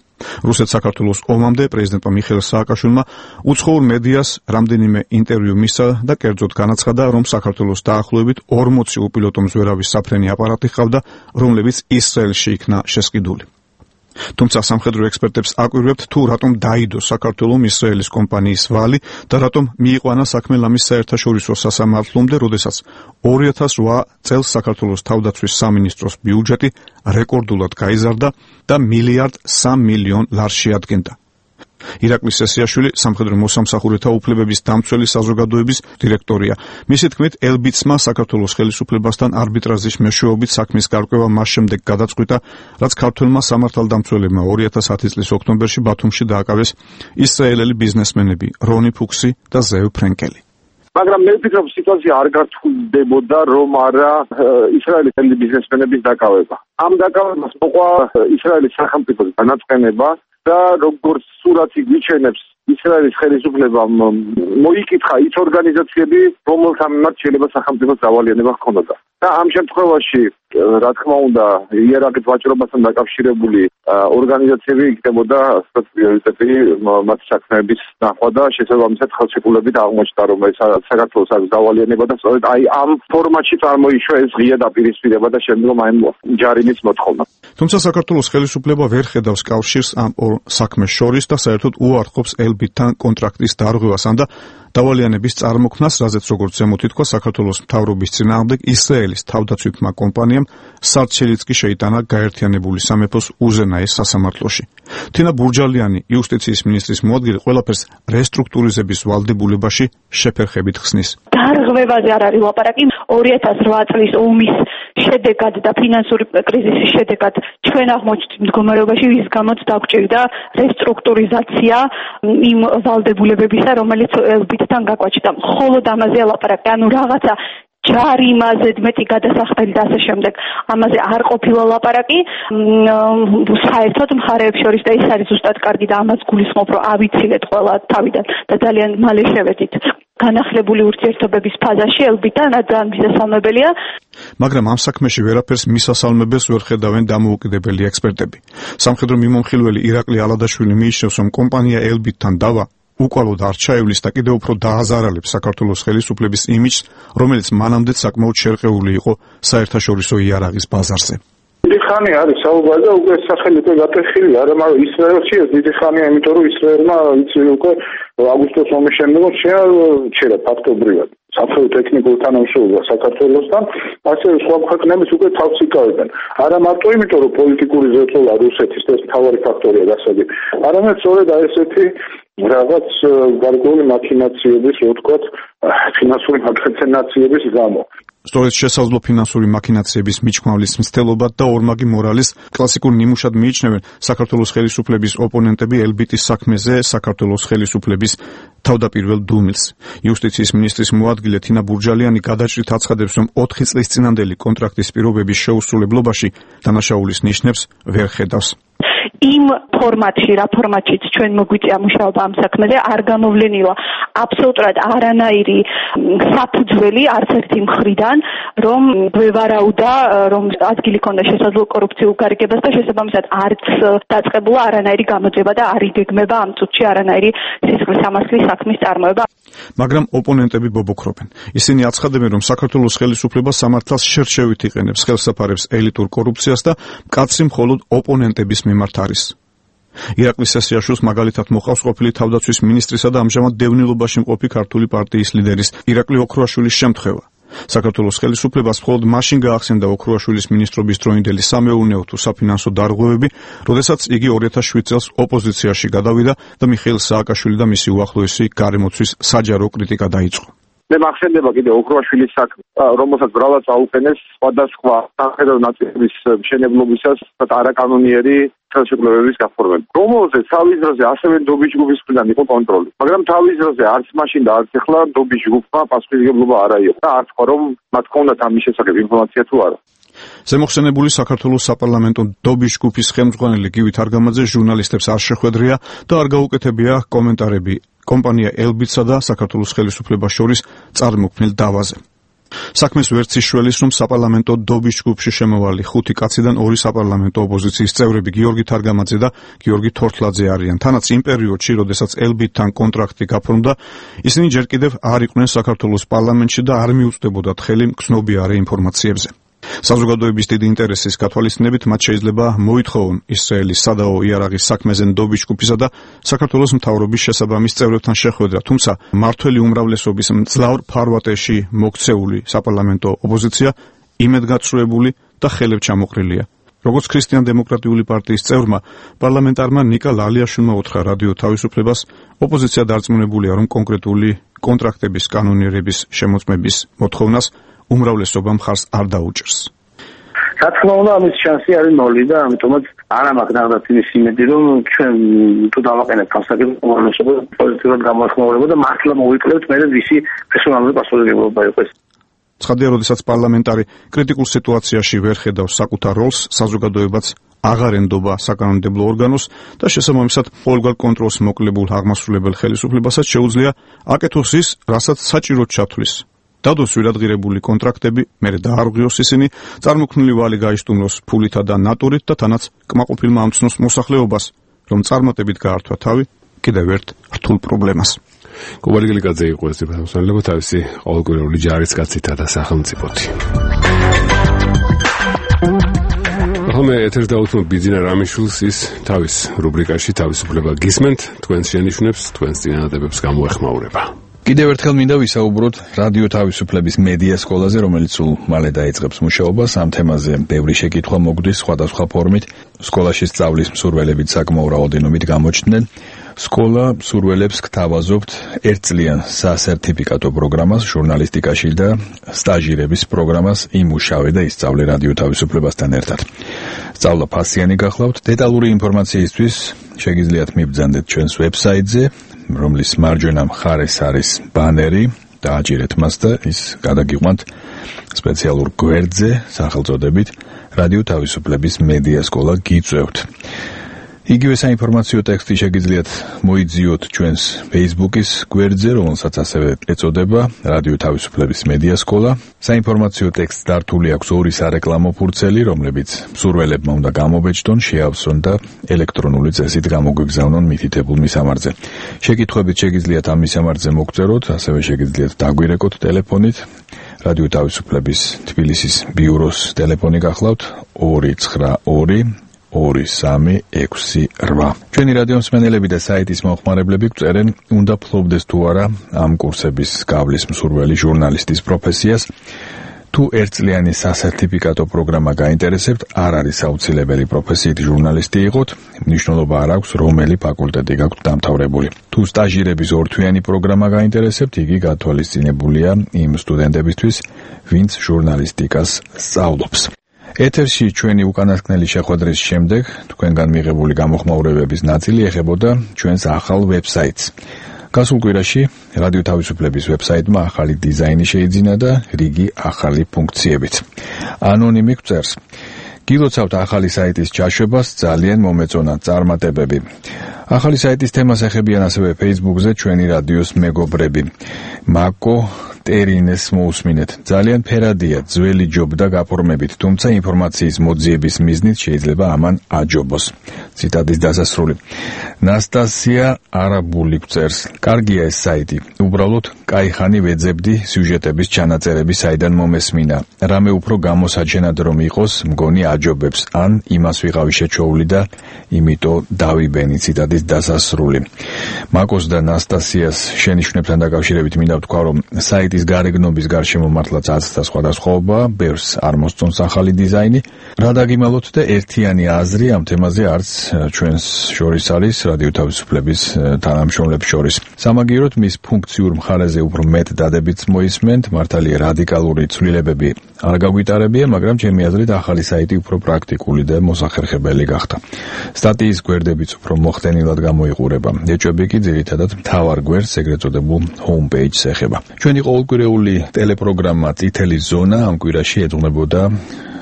I: რუსეთ-საქართველოს ომამდე პრეზიდენტმა მიხეილ სააკაშვილმა უცხოურ მედიას რამდენიმე ინტერვიუ მისცა და კერძოდ განაცხადა, რომ საქართველოს დაახლოებით 40 უპილოტო მზვერავის საფრენი აპარატი ჰყავდა, რომლებიც ისრაელში იქნა შესყიდული. თუმცა სამხედრო ექსპერტებს აკვირვებთ, თუ რატომ დაიდო საქართველოს ისრაელის კომპანიის ვალი და რატომ მიიყვანა საქმე ლამის საერთაშორისო სასამართლომდე, როდესაც 2008 წელს საქართველოს თავდაცვის სამინისტროს ბიუჯეტი რეკორდულად გაიზარდა და $1.3 მილიარდ შეადგენდა. ირაკლი სესიაშვილი სამხედრო მოსამსახურეთა უფლებების დამცველი საზოგადოების დირექტორია. მისი თქმით, ელბიტსმა საქართველოს ხელისუფლებასთან არბიტრაჟის მეშვეობით საქმის გარკვევა მას შემდეგ გადაწყვიტა, რაც ქართველმა სამართალდამცველებმა 2010 წლის ოქტომბერში ბათუმში დააკავეს ისრაელელი ბიზნესმენები რონი ფუქსი და ზევ ფრენკელი.
J: მაგრამ მე ვფიქრობ, სიტუაცია არ გართულდებოდა, რომ არა ისრაელის ბიზნესმენების დაკავება. ამ დაკავებას მოყვა ისრაელის სახელმწიფოს განაცხენება და როგორც სურათი გვიჩენებს, ისრაელის ხელისუფლებამ მოიკითხა ის ორგანიზაციები, რომელთა მიმართ შეიძლება სახელმწიფოს დავალიანება ჰქონოდა. და ამ შემთხვევაში, რა თქმა უნდა, იერარქიით ვაჭრობასთან დაკავშირებული ორგანიზაციები იქნებოდა პრიორიტეტი მათ საქმეების ნახვა და შესაბამისად ხელშეკრულებით აღმოჩნდა, რომ საქართველოს აქვს დავალიანება და სწორედ აი ამ ფორმატში წარმოიშვა ეს ღია დაპირისპირება და შემდგომ აი ჯარიმის მოთხოვნა.
I: თუმცა საქართველოს ხელისუფლება ვერ ხედავს კავშირს ამ ორ საქმეს შორის და საერთოდ უარყოფს ელბიტთან კონტრაქტის დარღვევასთან და დავალიანების წარმოქმნას, რაზეც როგორც ზემოთ ითქვა, საქართველოს მთავრობის წინააღმდეგ ისრაელის თავდაცვითმა კომპანიამ სარჩელიც კი შეიტანა გაერთიანებული სამეფოს უზენაეს სასამართლოში. თინა ბურჯალიანი, იუსტიციის მინისტრის მოადგილე, ყველაფერს რესტრუქტურიზების ვალდებულებაში შეფერხებით ხსნის.
C: დარღვევაზე არ არის ლაპარაკი. 2008 წლის ომის შედეგად და ფინანსური კრიზისის შედეგად ჩვენ აღმოჩნდით მდგომარეობაში, ვის გამოც დაგვჭირდა რესტრუქტურიზაცია იმ ვალდებულებებისა, რომელიც ელბიტთან გაკვაჩდა. მხოლოდ ამაზე ლაპარაკი, ანუ რაღაცა ჯარიმაზე მეტი გადასახდელი და ასე შემდეგ. ამაზე არ ყოფილა ლაპარაკი. საერთოდ მხარეებს შორის და ის არის ზუსტად კარგი და ამას გულისხმობ, რომ ავიცილეთ ყველა თავიდან და ძალიან მალე შევედით განახლებული ურთიერთობების ფაზაში ელბიტთან, რადგან მისასალმებელია.
I: მაგრამ ამ საქმეში ვერაფერს მისასალმებელს ვერ ხედავენ დამოუკიდებელი ექსპერტები. სამხედრო მიმომხილველი ირაკლი ალადაშვილი მიიჩნევს, რომ კომპანია ელბიტთან დავა უკვალოდ არ ჩაივლის და კიდევ უფრო დააზარალებს საქართველოს ხელისუფლების იმიჯს, რომელიც მანამდე საკმაოდ შერყეული იყო საერთაშორისო იარაღის ბაზარზე.
J: დიდი ხანი არის საუბარი და უკვე სახელი უკვე გატეხილი, არა მაგრამ ისრაელში ეს დიდი ხანია, იმიტომ რომ ისრაელმა იცი უკვე აგვისტოს ომის შემდეგ შეერჩერა ფაქტობრივად სამხედრო ტექნიკურ თანამშრომლობას საქართველოსთან, ასევე სხვა ქვეყნების უკვე თავს იკავებენ. არა მარტო იმიტომ რომ პოლიტიკური ზეწოლა რუსეთის ეს მთავარი ფაქტორია გასაგები, არამედ სწორედ აი ესეთი რაღაც გარკვეული მაქინაციების, რო ვთქვათ, ფინანსური მაქინაციების გამო.
I: სწორედ შესაძლო ფინანსური მაქინაციების მიჩქმავლის მცდელობად და ორმაგი მორალის კლასიკურ ნიმუშად მიიჩნევენ საქართველოს ხელისუფლების ოპონენტები ელბიტის საქმეზე საქართველოს ხელისუფლების თავდაპირველ დუმილს. იუსტიციის მინისტრის მოადგილე თინა ბურჯალიანი გადაჭრით აცხადებს, რომ 4 წლის წინანდელი კონტრაქტის პირობების შეუსრულებლობაში დანაშაულის ნიშნებს ვერ ხედავს.
C: იმ ფორმატში, რა ფორმატშიც ჩვენ მოგვიწია მუშაობა ამ საქმეზე, არ გამოვლენილა აბსოლუტურად არანაირი საფუძველი არც ერთი მხრიდან, რომ გვევარაუდა, რომ ადგილი ქონდა შესაძლო კორუფციულ გარიგებას და შესაბამისად არც დაწყებულა არანაირი გამოძიება და არ იგეგმება ამ წუთში არანაირი სისხლის-სამართლის საქმის წარმოება.
I: მაგრამ ოპონენტები ბობოქრობენ. ისინი აცხადებენ, რომ საქართველოს ხელისუფლება სამართალს შერჩევით იყენებს, ხელსაფარებს ელიტურ კორუფციას და მკაცრი მხოლოდ ოპონენტების მიმართ არის. ირაკლი სესიაშვილს მაგალითად მოყავს ყოფილი თავდაცვის მინისტრისა და ამჟამად დევნილობაში მყოფი ქართული პარტიის ლიდერის ირაკლი ოქრუაშვილის შემთხვევა. საქართველოს ხელისუფლებას მხოლოდ მაშინ გაახსენდა ოქრუაშვილის მინისტრობის დროინდელი სამეურნეო თუ საფინანსო დარღვევები, როდესაც იგი 2007 წელს ოპოზიციაში გადავიდა და მიხეილ სააკაშვილი და მისი უახლოესი გარემოცვის საჯარო კრიტიკა დაიწყო.
J: მე მახსენდება კიდე ოქროაშვილის საქმე, რომელსაც ბრავად წაუყენეს სხვადასხვა სამხედრო ნაწილების მშენებლობისას არაკანონიერი ხელშეკრულების გაფორმება. რომელზეც თავის დროზე ასევე ნდობის ჯგუფის მხრიდან იყო კონტროლი. მაგრამ თავის დროზე არც მაშინ და არც ახლა ნდობის ჯგუფმა პასუხისმგებლობა არ აიღო და არ თქვა რომ მათ ჰქონდათ ამის შესახებ ინფორმაცია თუ არა.
I: ზემოხსენებული საქართველოს საპარლამენტო ნდობის ჯგუფის ხელმძღვანელი გივი თარგამაძე ჟურნალისტებს არ შეხვედრია და არ გაუკეთებია კომენტარები კომპანია ელბიტსა და საქართველოს ხელისუფლებას შორის წარმოქმნილ დავაზე. საქმეს ვერც იშველის, რომ საპარლამენტო ნდობის ჯგუფში შემოვალი 5 კაციდან 2 საპარლამენტო ოპოზიციის წევრები გიორგი თარგამაძე და გიორგი თორთლაძე არიან. თანაც იმ პერიოდში, როდესაც ელბიტთან კონტრაქტი გაფორმდა, ისინი ჯერ კიდევ არ იყვნენ საქართველოს პარლამენტში და არ მიუწვდებოდათ ხელი მგზნობიარე ინფორმაციებზე. საზოგადოების დიდი ინტერესის გათვალისწინებით მათ შეიძლება მოითხოვონ ისრაელის სადაო იარაღის საქმეზე ნდობის ჯგუფისა და საქართველოს მთავრობის შესაბამის წევრებთან შეხვედრა, თუმცა მართველი უმრავლესობის მძლავრ ფარვატეში მოქცეული საპარლამენტო ოპოზიცია იმედგაცრუებული და ხელებ ჩამოყრილია. როგორც ქრისტიან-დემოკრატიული პარტიის წევრმა, პარლამენტარმა ნიკა ლალიაშვილმა უთხრა რადიო თავისუფლებას, ოპოზიცია დარწმუნებულია, რომ კონკრეტული კონტრაქტების კანონიერების შემოწმების მოთხოვნას უმრავლესობა მხარს არ დაუჭერს.
K: რა თქმა უნდა, ამის შანსი არის 0 და ამიტომაც არ ამაქვს ნახდათ იმის იმედი, რომ ჩვენ თუ დავაყენებთ ამ საკითხს, უმრავლესობა პოზიტიურად გამოეხმაურება და მართლა მოვიკლებთ მე ვისი პერსონალური პასუხისმგებლობა იყოს.
I: ცხადია, როდესაც პარლამენტარი კრიტიკულ სიტუაციაში ვერ ხედავს საკუთარ როლს, საზოგადოებაც აღარ ენდობა საკანონმდებლო ორგანოს და შესაბამისად ყოველგვარ კონტროლს მოკლებულ აღმასრულებელ ხელისუფლებასაც შეუძლია აკეთოს ის, რასაც საჭიროდ ჩათვლის. დადოს ვირადღირებული კონტრაქტები, მერე დაარღვიოს ისინი, წარმოქმნილი ვალი გაისტუმროს ფულითა და ნატურით და თანაც კმაყოფილმა ამცნოს მოსახლეობას, რომ წარმატებით გაართვა თავი კიდევ ერთ რთულ პრობლემას.
A: კობალი გლიკაძე იყო ეს დეპარტამენტი თავისი ყოველკვირეული ჯარისკაცითა და სახელმწიფოთი. ახლა ეთერს დავუთმობ ბიძინა რამიშვილს, ის თავის რუბრიკაში თავისუფლება გისმენთ, თქვენს შენიშვნებს, თქვენს წინადადებებს გამოეხმაურება.
L: კიდევ ერთხელ მინდა ვისაუბროთ რადიო თავისუფლების მედია სკოლაზე, რომელიც სულ მალე დაიწყებს მუშაობას. ამ თემაზე ბევრი შეკითხვა მოგვდის სხვადასხვა ფორმით. სკოლაში სწავლის მსურველებით საკმაო რაოდენობით გამოჩნდნენ. სკოლა მსურველებს გთავაზობთ ერთწლიან სასერტიფიკატო პროგრამას ჟურნალისტიკაში და სტაჟირების პროგრამას იმუშავე და ისწავლე რადიო თავისუფლებასთან ერთად. სწავლა ფასიანი გახლავთ. დეტალური ინფორმაციისთვის შეგიძლიათ მიბრძანდეთ ჩვენს ვებსაიტზე, რომლის მარჯვენა მხარეს არის ბანერი, დააჭირეთ მას და ის გადაგიყვანთ სპეციალურ გვერდზე სახელწოდებით რადიო თავისუფლების მედია სკოლა გიწევთ. იგივე საინფორმაციო ტექსტი შეგიძლიათ მოიძიოთ ჩვენს Facebook-ის გვერდზე, რომელსაც ასევე ეწოდება რადიო თავისუფლების მედია სკოლა. საინფორმაციო ტექსტს დართული აქვს 2 სარეკლამო ფურცელი, რომლებიც მსურველებმა უნდა გამობეჭდონ, შეავსონ და ელექტრონული წესით გამოგვიგზავნონ მითითებულ მისამართზე. შეკითხვებით შეგიძლიათ ამ მისამართზე მოგწეროთ, ასევე შეგიძლიათ დაგვირეკოთ ტელეფონით. რადიო თავისუფლების თბილისის ბიუროს ტელეფონი გახლავთ 292 2368. ჩვენი რადიო მსმენელები და საიტის მომხმარებლები გწერენ, უნდა ფლობდეს თუ არა ამ კურსების გავლის მსურველი ჟურნალისტის პროფესიას. თუ ერთწლიანი სასერტიფიკატო პროგრამა გაინტერესებთ, არ არის აუცილებელი პროფესიით ჟურნალისტი იყოთ, მნიშვნელობა არ აქვს რომელი ფაკულტეტი გაქვთ დამთავრებული. თუ სტაჟირების 2-თვიანი პროგრამა გაინტერესებთ, იგი გათვალისწინებულია იმ სტუდენტებისთვის, ვინც ჟურნალისტიკას სწავლობს. ეთერში ჩვენი უკანასკნელი შეხვედრის შემდეგ თქვენგან მიღებული გამოხმაურებების ნაწილი ეხებოდა ჩვენს ახალ ვებსაიტს. გასულ კვირაში რადიო თავისუფლების ვებსაიტმა ახალი დიზაინი შეიძინა და რიგი ახალი ფუნქციებით. ანონიმი გწერს: გილოცავთ ახალი საიტის ჩაშვებას, ძალიან მომეწონა წარმატებები. ახალი საიტის თემას ეხებიან ასევე Facebook-ზე ჩვენი რადიოს მეგობრები. მაკო ტერინეს მოусმინეთ. ძალიან ფერადია, ძველი ჯობდა გაფორმებით, თუმცა ინფორმაციის მოძიების მიზნით შეიძლება ამან აჯობოს. ციტატის დასასრული. ნასტასია არაბული გწერს: კარგია ეს საიტი. უბრალოდ кайხანი ვეძებდი სიუჟეტების ჩანაწერები საიდან მომესმინა. რამე უფრო გამოსაჩენად რომ იყოს, მგონი აჯობებს, ან იმას ვიყავი შეჩოული და იმიტომ დავიბენი. ციტატის დასასრული. მაკოს და ნასტასიას შენიშვნებთან დაკავშირებით მინდა ვთქვა, რომ საიტის საიტის გარეგნობის გარშემო მართლაც აცთა სხვადასხვაობა, ბევრს არ მოსწონს ახალი დიზაინი. რა დაგიმალოთ და ერთიანი აზრი ამ თემაზე არც ჩვენს შორის არის რადიო თავისუფლების თანამშრომლებს შორის. სამაგიეროდ მის ფუნქციურ მხარეზე უფრო მეტ დადებითს მოისმენთ, მართალია რადიკალური ცვლილებები არ გაგვიტარებია, მაგრამ ჩემი აზრით ახალი საიტი უფრო პრაქტიკული და მოსახერხებელი გახდა. სტატიის გვერდებიც უფრო მოხდენილად გამოიყურება. ეჭვები კი ძირითადად მთავარ გვერდს, ეგრეთ წოდებულ homepage-ს ეხება. ჩვენი ყოველკვირეული ტელეპროგრამა წითელი ზონა ამ კვირაში ეძღვნებოდა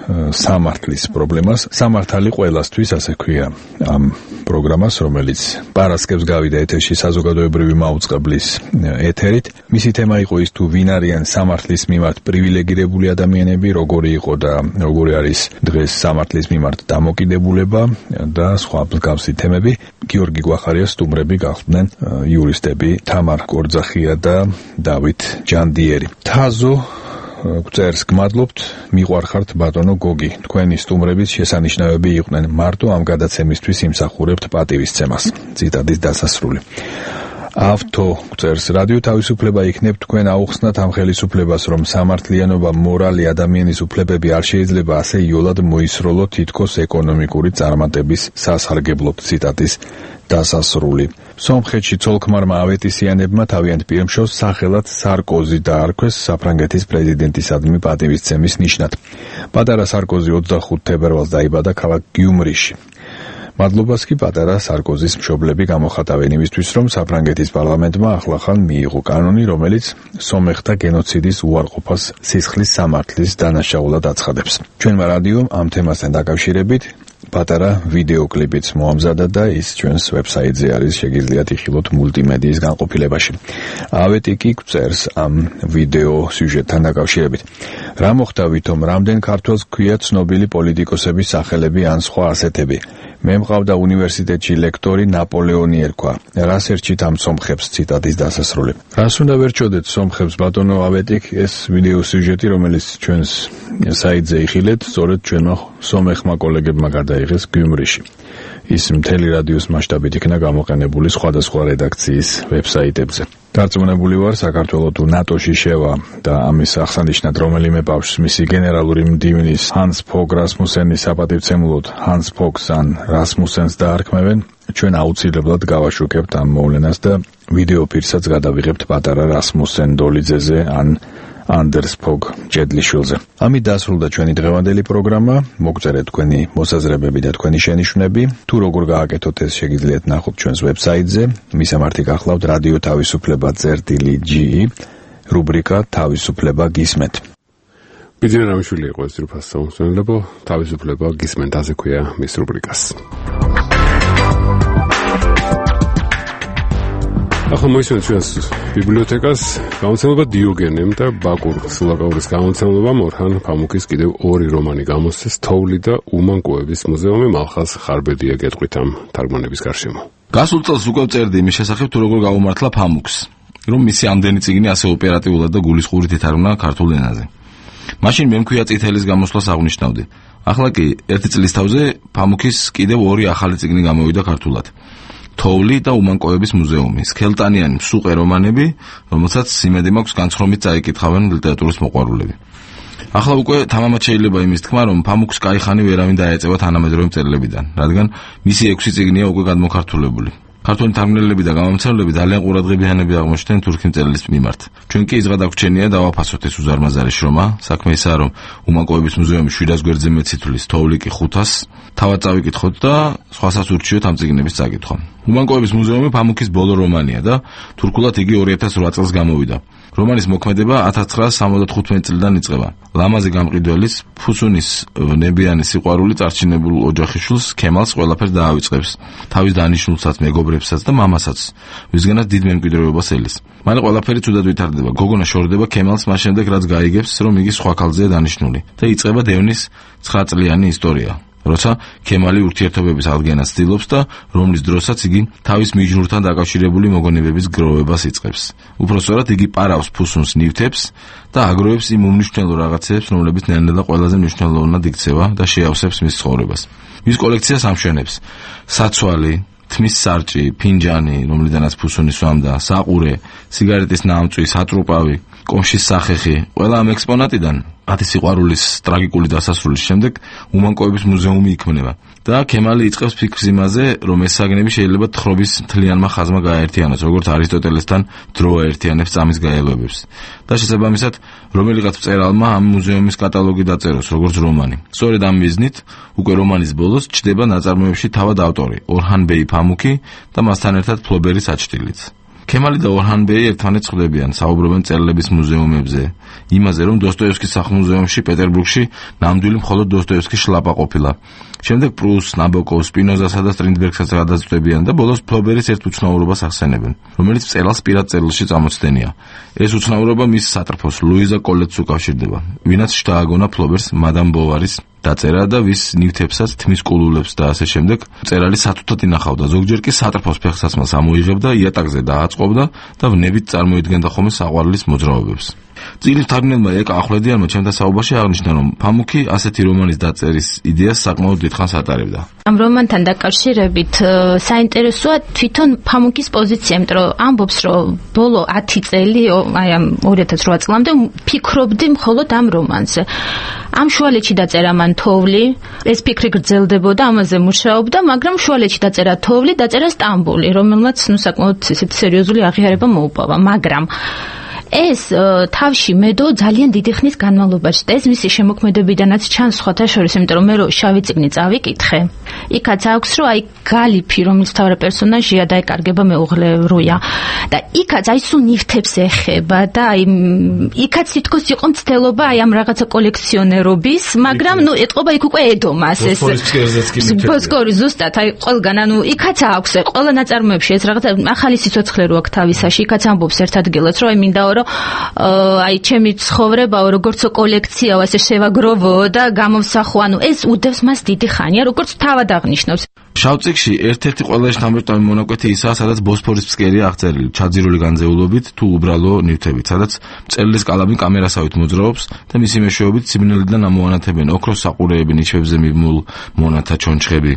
L: სამართლის პრობლემას. სამართალი ყველასთვის, ასე ქვია ამ პროგრამას, რომელიც პარასკევს გავიდა ეთერში საზოგადოებრივი მაუწყებლის ეთერით. მისი თემა იყო ის, თუ ვინ არიან სამართლის მიმართ პრივილეგირებული ადამიანები, როგორი იყო და როგორი არის დღეს სამართლის მიმართ დამოკიდებულება და სხვა მსგავსი თემები. გიორგი გვახარიას სტუმრები გახდნენ იურისტები თამარ კორძახია და დავით ჯანდიერი. თაზო წერს, გმადლობთ, მიყვარხართ ბატონო გოგი. თქვენი სტუმრების შესანიშნავები იყვნენ. მარტო ამ გადაცემისთვის იმსახურებთ პატივისცემას. ციტატის დასასრული. ავთო წერს, რადიო თავისუფლება იქნებ თქვენ აუხსნათ ამ ხელისუფლებას, რომ სამართლიანობა, მორალი, ადამიანის უფლებები არ შეიძლება ასე იოლად მოისროლოთ თითქოს ეკონომიკური წარმატების სასარგებლოდ. ციტატის დასასრული. სომხეთში ცოლ-ქმარმა ავეტისიანებმა თავიანთ პირმშოს სახელად სარკოზი დაარქვეს საფრანგეთის პრეზიდენტისადმი პატივისცემის ნიშნად. პატარა სარკოზი 25 თებერვალს დაიბადა ქალაქ გიუმრიში. მადლობას კი პატარა სარკოზის მშობლები გამოხატავენ იმისთვის, რომ საფრანგეთის პარლამენტმა ახლახან მიიღო კანონი, რომელიც სომეხთა გენოციდის უარყოფას სისხლის სამართლის დანაშაულად აცხადებს. ჩვენმა რადიომ ამ თემასთან დაკავშირებით პატარა ვიდეოკლიპიც მოამზადა და ის ჩვენს ვებსაიტზე არის, შეგიძლიათ იხილოთ მულტიმედიის განყოფილებაში. ავეტი კი წერს ამ ვიდეო სიუჟეტთან დაკავშირებით. რა მოხდა ვითომ, რამდენ ქართველს გვია ცნობილი პოლიტიკოსების სახელები ან სხვა ასეთები. მე მყავდა უნივერსიტეტში ლექტორი ნაპოლეონი ერქვა. რას ერჩით ამ სომხებს? ციტატის დასასრული. რას უნდა ვერჩოდეთ სომხებს, ბატონო ავეტიკ? ეს ვიდეო სიუჟეტი, რომელიც ჩვენს საიტზე იხილეთ, სწორედ ჩვენმა სომეხმა კოლეგებმა გადაიღეს გიუმრიში. ის მთელი რადიოს მასშტაბით იქნა გამოყენებული სხვადასხვა რედაქციის ვებსაიტებზე. დარწმუნებული ვარ, საქართველოს თუ ნატოში შევა და ამის აღსანიშნად რომელიმე ბავშვს მისი გენერალური მდივნის ჰანს ფოგ რასმუსენის საპატივცემულოდ ჰანს ფოგს ან რასმუსენს დაარქმევენ, ჩვენ აუცილებლად გავაშუქებთ ამ მოვლენას და ვიდეო პირსაც გადავიღებთ პატარა რასმუსენ დოლიძეზე ან ანდერს ფოგ ჯედლიშვილზე. ამით დასრულდა ჩვენი დღევანდელი პროგრამა. მოგწერეთ თქვენი მოსაზრებები და თქვენი შენიშვნები. თუ როგორ გააკეთოთ, ეს შეგიძლიათ ნახოთ ჩვენს ვებსაიტზე. მისამართი გახლავთ რადიო თავისუფლება.ge, რუბრიკა თავისუფლება გისმენთ.
A: ბიძინა რამიშვილი იყო ეს ძირფას საუნსენლებო, თავისუფლება გისმენთ, ასე ქვია მის რუბრიკას. ახლა მოისმენთ ჩვენს ბიბლიოთეკას გამოცემულობა დიოგენემ და ბაკურ სლაკაურის გამოცემულობამ ორჰან ფამუკის კიდევ ორი რომანი გამოსცეს, თოვლი და უმანკოების მუზეუმი მალხაზ ხარბედია გეტყვით ამ თარგმანების გარშემო.
M: გასულ წელს უკვე წერდი იმის შესახებ, თუ როგორ გაუმართლა ფამუკს, რომ მისი ამდენი წიგნი ასე ოპერატიულად და გულისხმობით ითარგმნა ქართულ ენაზე. მაშინ მე მქვია წითელის გამოსვლას აღნიშნავდი. ახლა კი ერთი წლის თავზე ფამუკის კიდევ ორი ახალი წიგნი გამოვიდა ქართულად. თოვლი და უმანკოების მუზეუმი, სქელტანიანი მსუყე რომანები, რომელსაც იმედი მაქვს განცხრომით წაიკითხავენ ლიტერატურის მოყვარულები. ახლა უკვე თამამად შეიძლება იმის თქმა, რომ ფამუკს კაიხანი ვერავინ დაეწევა თანამედროვე მწერლებიდან, რადგან მისი 6 წიგნია უკვე გადმოქართულებული. ქართული თარგმნელები და გამომცემლები ძალიან ყურადღებიანები აღმოჩნდნენ თურქი მწერლის მიმართ. ჩვენ კი იზღვა დაგვრჩენია დავაფასოთ ეს უზარმაზარი შრომა. საქმე ისაა, რომ უმანკოების მუზეუმი 700 გვერდზე მეტ სითვლის, თოვლი კი 500, თავად წავიკითხოთ და სხვასაც ურჩიოთ ამ წიგნების წაკითხვა. უმანკოების მუზეუმი ფამუკის ბოლო რომანია და თურქულად იგი 2008 წელს გამოვიდა. რომანის მოქმედება 1975 წლიდან იწყება. ლამაზი გამყიდველის, ფუსუნის ნებიანი სიყვარული წარჩინებულ ოჯახიშვილს ქემალს ყველაფერს დაავიწყებს. თავის დანიშნულსაც, მეგობრებსაც და მამასაც, ვისგანაც დიდ მემკვიდრეობას ელის. მალე ყველაფერი ცუდად ვითარდება. გოგონა შორდება ქემალს მას შემდეგ, რაც გაიგებს, რომ იგი სხვა ქალზეა დანიშნული და იწყება დევნის 9 წლიანი ისტორია. როცა ქემალი ურთიერთობების აღდგენას ცდილობს და რომლის დროსაც იგი თავის მიჯნურთან დაკავშირებული მოგონებების გროვებას იწყებს. უпростоრად იგი პარავს ფუსუნს ნივთებს და აგროვებს იმ უმნიშვნელო რაღაცებს, რომლებიც ნელ-ნელა ყველაზე მნიშვნელოვნად იქცევა და შეავსებს მის ცხოვრებას. მის კოლექციას ამშვენებს: საცვალი, თმის სარჭი, ფინჯანი, რომლიდანაც ფუსონი სვამდა, საყურე, სიგარეტის ნამწვი, სატრუპავი, კომშის სახეხი, ყველა ამ ექსპონატიდან 10 სიყვარულის ტრაგიკული დასასრულის შემდეგ უმანკოების მუზეუმი იქმნება. და ქემალი იწყებს ფიქრს იმაზე, რომ ეს საგნები შეიძლება თხრობის მთლიანმა ხაზმა გააერთიანოს, როგორც არისტოტელესთან დრო აერთიანებს წამის გაელვებებს. და შესაბამისად, რომელიღაც მწერალმა ამ მუზეუმის კატალოგი დაწეროს, როგორც რომანი. სწორედ ამ მიზნით, უკვე რომანის ბოლოს ჩდება ნაწარმოებში თავად ავტორი, ორჰან ბეი ფამუკი და მასთან ერთად ფლობერი საჩtildeლიც. ქემალი და ორჰან ბეი ერთმანეთს ხვდებიან, საუბრობენ მწერლების მუზეუმებზე, იმაზე, რომ დოსტოევსკის სახლ-მუზეუმში პეტერბურგში ნამდვილი მხოლოდ დოსტოევსკის შლაპა ყოფილა. შემდეგ პრუსს, ნაბოკოვს, სპინოზასა და სტრინდბერგსაც გადაწყვეტებიან და ბოლოს ფლობერის ერთ უცნაურობას ახსენებენ, რომელიც მწერალს პირად წერილში წამოწდენია. ეს უცნაურობა მის სატრფოს ლუიზა კოლეტს უკავშირდება, ვინაც შთააგონა ფლობერს მადამ ბოვარის დაწერა და ვის ნივთებსაც, თმის კულულებს და ასე შემდეგ მწერალი სათუთად ინახავდა, ზოგჯერ კი სატრფოს ფეხსაცმელს ამოიღებდა, იატაკზე დააწყობდა და ვნებით წარმოიდგენდა ხოლმე საყვარლის მოძრაობებს. წიგნის მთარგმნელმა ეკა ახვლედიანმა ჩემთან საუბარში აღნიშნა, რომ ფამუკი ასეთი რომანის დაწერის იდეას საკმაოდ დიდხანს ატარებდა.
D: ამ რომანთან დაკავშირებით საინტერესოა თვითონ ფამუკის პოზიცია, იმიტომ რომ ამბობს, რომ ბოლო 10 წელი, აი ამ 2008 წლამდე ფიქრობდი მხოლოდ ამ რომანზე. ამ შუალედში დაწერა მან თოვლი, ეს ფიქრი გრძელდებოდა, ამაზე მუშაობდა, მაგრამ შუალედში დაწერა თოვლი, დაწერა სტამბოლი, რომელმაც საკმაოდ სერიოზული აღიარება მოუპოვა, მაგრამ ეს თავში მედო ძალიან დიდი ხნის განმავლობაში და ეს მისი შემოქმედებიდანაც ჩანს სხვათა შორის, იმიტომ რომ მე რო შავი წიგნი წავიკითხე, იქაც აქვს, რომ აი გალიფი, რომელიც თავი პერსონაჟია და ეკარგება მეუღლე როია და იქაც აი სულ ნივთებს ეხება და აი იქაც თითქოს იყო მცდელობა აი ამ რაღაცა კოლექციონერობის, მაგრამ ნუ ეტყობა იქ უკვე ედომას ეს ბოსკორი ზუსტად აი ყველგან, ანუ იქაც აქვს ყველა ნაწარმოებში ეს რაღაცა ახალი სიცოცხლე რო აქვს თავისაში, იქაც ამბობს ერთ ადგილას, რომ აი მინდა აი ჩემი ცხოვრებაო როგორც კოლექციაო ასე შევაგროვო და გამოვსახო, ანუ ეს უდევს მას დიდი ხანია, როგორც თავად აღნიშნავს.
M: შავ წიგნში ერთ-ერთი ყველაზე შთამბეჭდავი მონაკვეთი ისაა, სადაც ბოსფორის ფსკერია აღწერილი, ჩაძირული განზეულობით თუ უბრალო ნივთებით, სადაც მწერლის კალამი კამერასავით მოძრაობს და მისი მეშვეობით სიბნელიდან ამოანათებენ ოქროს საყურეები, ნიშებზე მიმულ მონათა ჩონჩხები,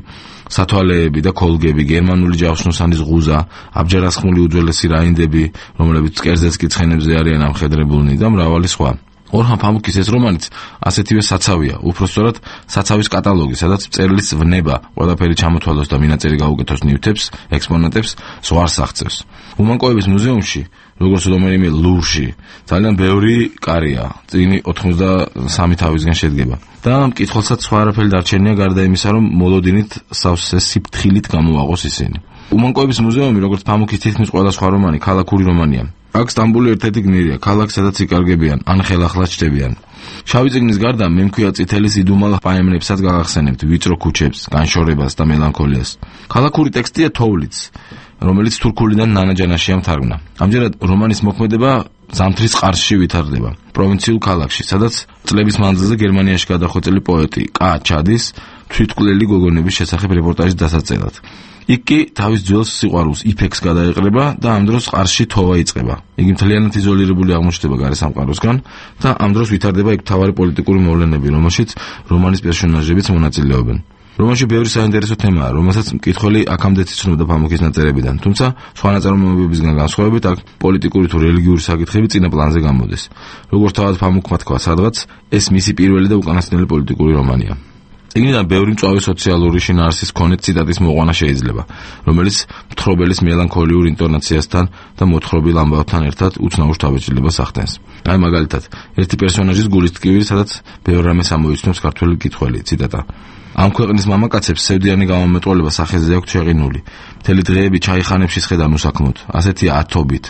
M: სათვალეები და კოლგები, გერმანული ჯავშნოსანის ღუზა, აბჯარასხმული უძველესი რაინდები, რომლებიც მკერზეც კი ცხენებზე არიან ამხედრებულნი და მრავალი სხვა. ორჰან ფამუკის ეს რომანიც ასეთივე საცავია, უпростоრად საცავის კატალოგი, სადაც მწერლის ვნება ყველაფერი ჩამოთვალოს და მინაწერი გაუკეთოს ნივთებს, ექსპონატებს, ზღვარს აღწევს. უმანკოების მუზეუმში, როგორც რომელიმე ლუვრში, ძალიან ბევრი კარია, წიგნი 83 თავისგან შედგება. და მკითხველსაც სხვა არაფერი დარჩენია გარდა იმისა, რომ მოლოდინით სავსე სიფრთხილით გამოაყოს ისინი. უმანკოების მუზეუმი, როგორც ფამუკის თითქმის ყველა სხვა რომანი, ქალაქური რომანია. აქ სტამბული ერთ-ერთი გმირია, ქალაქი, სადაც იკარგებიან, ან ხელახლა ჩდებიან. შავი წიგნის გარდა მე მქვია წითელის იდუმალ პაემნებსაც გაგახსენებთ, ვიწრო ქუჩებს, განშორებას და მელანქოლიას. ქალაქური ტექსტია თოვლიც, რომელიც თურქულიდან ნანაჯანაშია მთარგმნა. ამჯერად რომანის მოქმედება ზამთრის ყარსში ვითარდება, პროვინციულ ქალაქში, სადაც წლების მანძილზე გერმანიაში გადახვეწილი პოეტი კა ჩადის თვითმკვლელი გოგონების შესახებ რეპორტაჟის დასაწევად. იქ კი თავის ძველ სიყვარულს იფექს გადაეყრება და ამ დროს ყარსში თოვა იწყება. იგი მთლიანად იზოლირებული აღმოჩნდება გარესამყაროსგან და ამ დროს ვითარდება იქ მთავარი პოლიტიკური მოვლენები, რომელშიც რომანის პერსონაჟებიც მონაწილეობენ. რომანში ბევრი საინტერესო თემაა, რომელსაც მკითხველი აქამდე იცნობდა ფამუკის ნაწერებიდან, თუმცა სხვა ნაწარმოებებისგან განსხვავებით აქ პოლიტიკური თუ რელიგიური საკითხები წინა პლანზე გამოდის. როგორც თავად ფამუკმა თქვა სადღაც, ეს მისი პირველი და უკანასკნელი პოლიტიკური რომანია. წიგნიდან ბევრი მწვავე სოციალური შინაარსის მქონე ციტატის მოყვანა შეიძლება, რომელიც მთხრობელის მელანქოლიურ ინტონაციასთან და მოთხრობილ ამბავთან ერთად უცნაურ შთაბეჭდილებას ახდენს. აი მაგალითად, ერთი პერსონაჟის გულის ტკივილი, სადაც ბევრ რამეს ამოიცნობს ქართველი მკითხველი, ციტატა. ამ ქვეყნის მამაკაცებს სევდიანი გამომეტყველება სახეზე აქვთ შეყინული. მთელი დღეები ჩაიხანებში სხედან უსაქმოდ. ასეთია ათობით,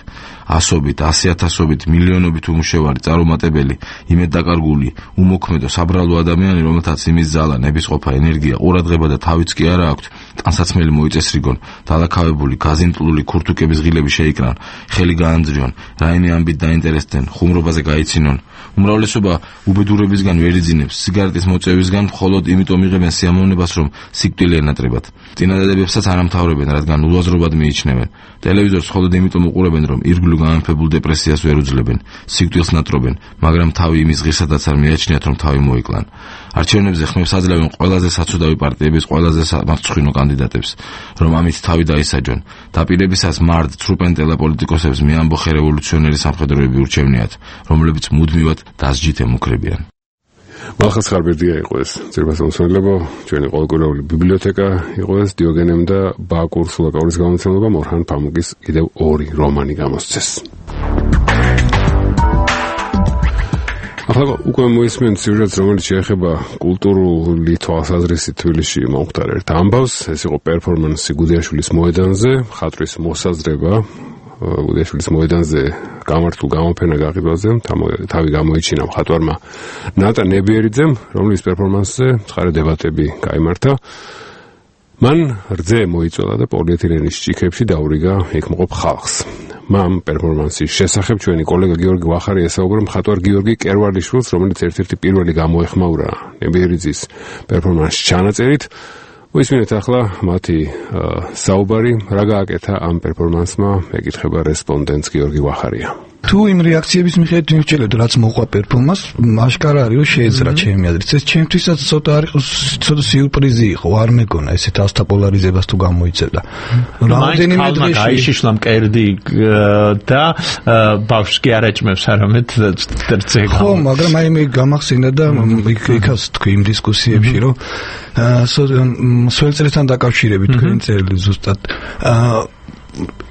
M: ასობით, 100,000-ობით, მილიონობით უმუშევარი, წარუმატებელი, იმეddაკარგული, უმოქმედო, საბრალო ადამიანი, რომელთაც იმის ზალა, ნებისყოფა, ენერგია, ყურადღება და თავიც კი არა აქვთ, ტანსაცმელი მოიწესრიგონ, დალაქავებული, გაზიმტლული ქურთუკების ღილები შეიკრან, ხელი გაანძრიონ, რაიმე ამბით დაინტერესდნენ, ხუმრობაზე გაიცინონ. უმრავლესობა უბედურებისგან ვერ იძინებს, სიგარეტის მოწევისგან მხოლოდ იმიტომ იღებენ სიამოვნებას, რომ სიკვდილი ენატრებათ. წინადადებებსაც არ ამთავრებენ, რადგან ულაზრობად მიიჩნევენ. ტელევიზორს მხოლოდ იმიტომ უყურებენ, რომ ირგვლივ გამეფებულ დეპრესიას ვერ უძლებენ, სიკვდილს ნატრობენ, მაგრამ თავი იმის ღირსადაც არ მიაჩნიათ, რომ თავი მოიკლან. არჩევნებზე ხმებს აძლევენ ყველაზე საცუდავი პარტიების ყველაზე სამარცხვინო კანდიდატებს, რომ ამით თავი დაისაჯონ. დაპირებისას მარდ ცრუპენტელა პოლიტიკოსებს მეამბოხე რევოლუციონერი სამხედროები ურჩევნიათ, რომლებიც მუდმივად დასჯით ემუქრებიან.
A: მახას ხარბერდია იყო ეს ძირფასმოსმელებო, ჩვენი ყოველკვირეული ბიბლიოთეკა იყო ეს, დიოგენემ და ბაკურ სულაკაურის გამოცემებამ ორჰან ფამუკის კიდევ 2 რომანი გამოსცეს. ახლა უკვე მოისმენთ სიუჟეტს, რომელიც შეეხება კულტურული თვალსაზრისით თბილისში მომხდარ ერთ ამბავს. ეს იყო პერფორმანსი გუდიაშვილის მოედანზე, ხატვის მოსაზრება გუდიაშვილის მოედანზე გამართულ გამოფენა გაყიდვაზე თავი გამოიჩინა მხატვარმა ნატა ნებიერიძემ, რომლის პერფორმანსზე ცხარე დებატები გაიმართა. მან რძე მოიწოლა და პოლიეთილენის ჭიქებში დაურიგა იქ მყოფ ხალხს. მამ პერფორმანსის შესახებ ჩვენი კოლეგა გიორგი ვახარი ესაუბრა მხატვარ გიორგი კერვალიშვილს, რომელიც ერთ-ერთი პირველი გამოეხმაურა ნებიერიძის პერფორმანსის ჩანაწერით. მოისმინეთ ახლა მათი საუბარი, რა გააკეთა ამ პერფორმანსმა, ეკითხება რესპონდენტს გიორგი ვახარია.
N: თუ იმ რეაქციების მიხედვით მივჭირებთ, რაც მოყვა პერფორმანსს, აშკარა არის, რომ შეეძრა ჩემი აზრით. ეს ჩემთვისაც ცოტა სიურპრიზი იყო, არ მეგონა ესეთ ასთაპოლარიზებას თუ გამოიწევდა.
O: რამდენიმე დღეში გაიშიშლა მკერდი და ბავშვს კი არ ეჭმევს არამედ რძე.
N: ხო, მაგრამ აი მე გამახსენდა და იქაც თქვი იმ დისკუსიებში, რომ სველწრესთან დაკავშირებით თქვენ წერილი ზუსტად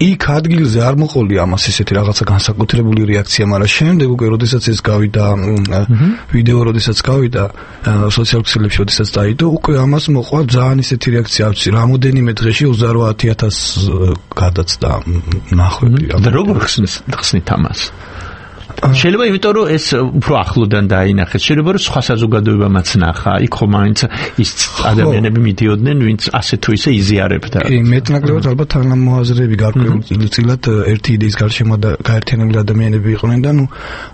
N: იქ ადგილზე არ მოყოლი ამას ესეთი რაღაცა განსაკუთრებული რეაქცია, მაგრამ შემდეგ უკვე როდესაც ეს გავიდა ვიდეო, როდესაც გავიდა სოციალურ ქსელებში, როდესაც დაიდო, უკვე ამას მოყვა ძალიან ესეთი რეაქცია, არ ვიცი, რამოდენიმე დღეში 28,000 გადაცდა ნახვები.
O: და როგორ ხსნით ამას? შეიძლება იმიტომ რომ ეს უფრო ახლოდან დაინახეს, შეიძლება რომ სხვა საზოგადოებამაც ნახა, იქ ხომ მაინც ის ადამიანები მიდიოდნენ, ვინც ასე თუ ისე იზიარებდა.
N: კი, მეტნაკლებად ალბათ თანამოაზრეები გარკვეულწილად ერთი იდეის გარშემო გაერთიანებული ადამიანები იყვნენ და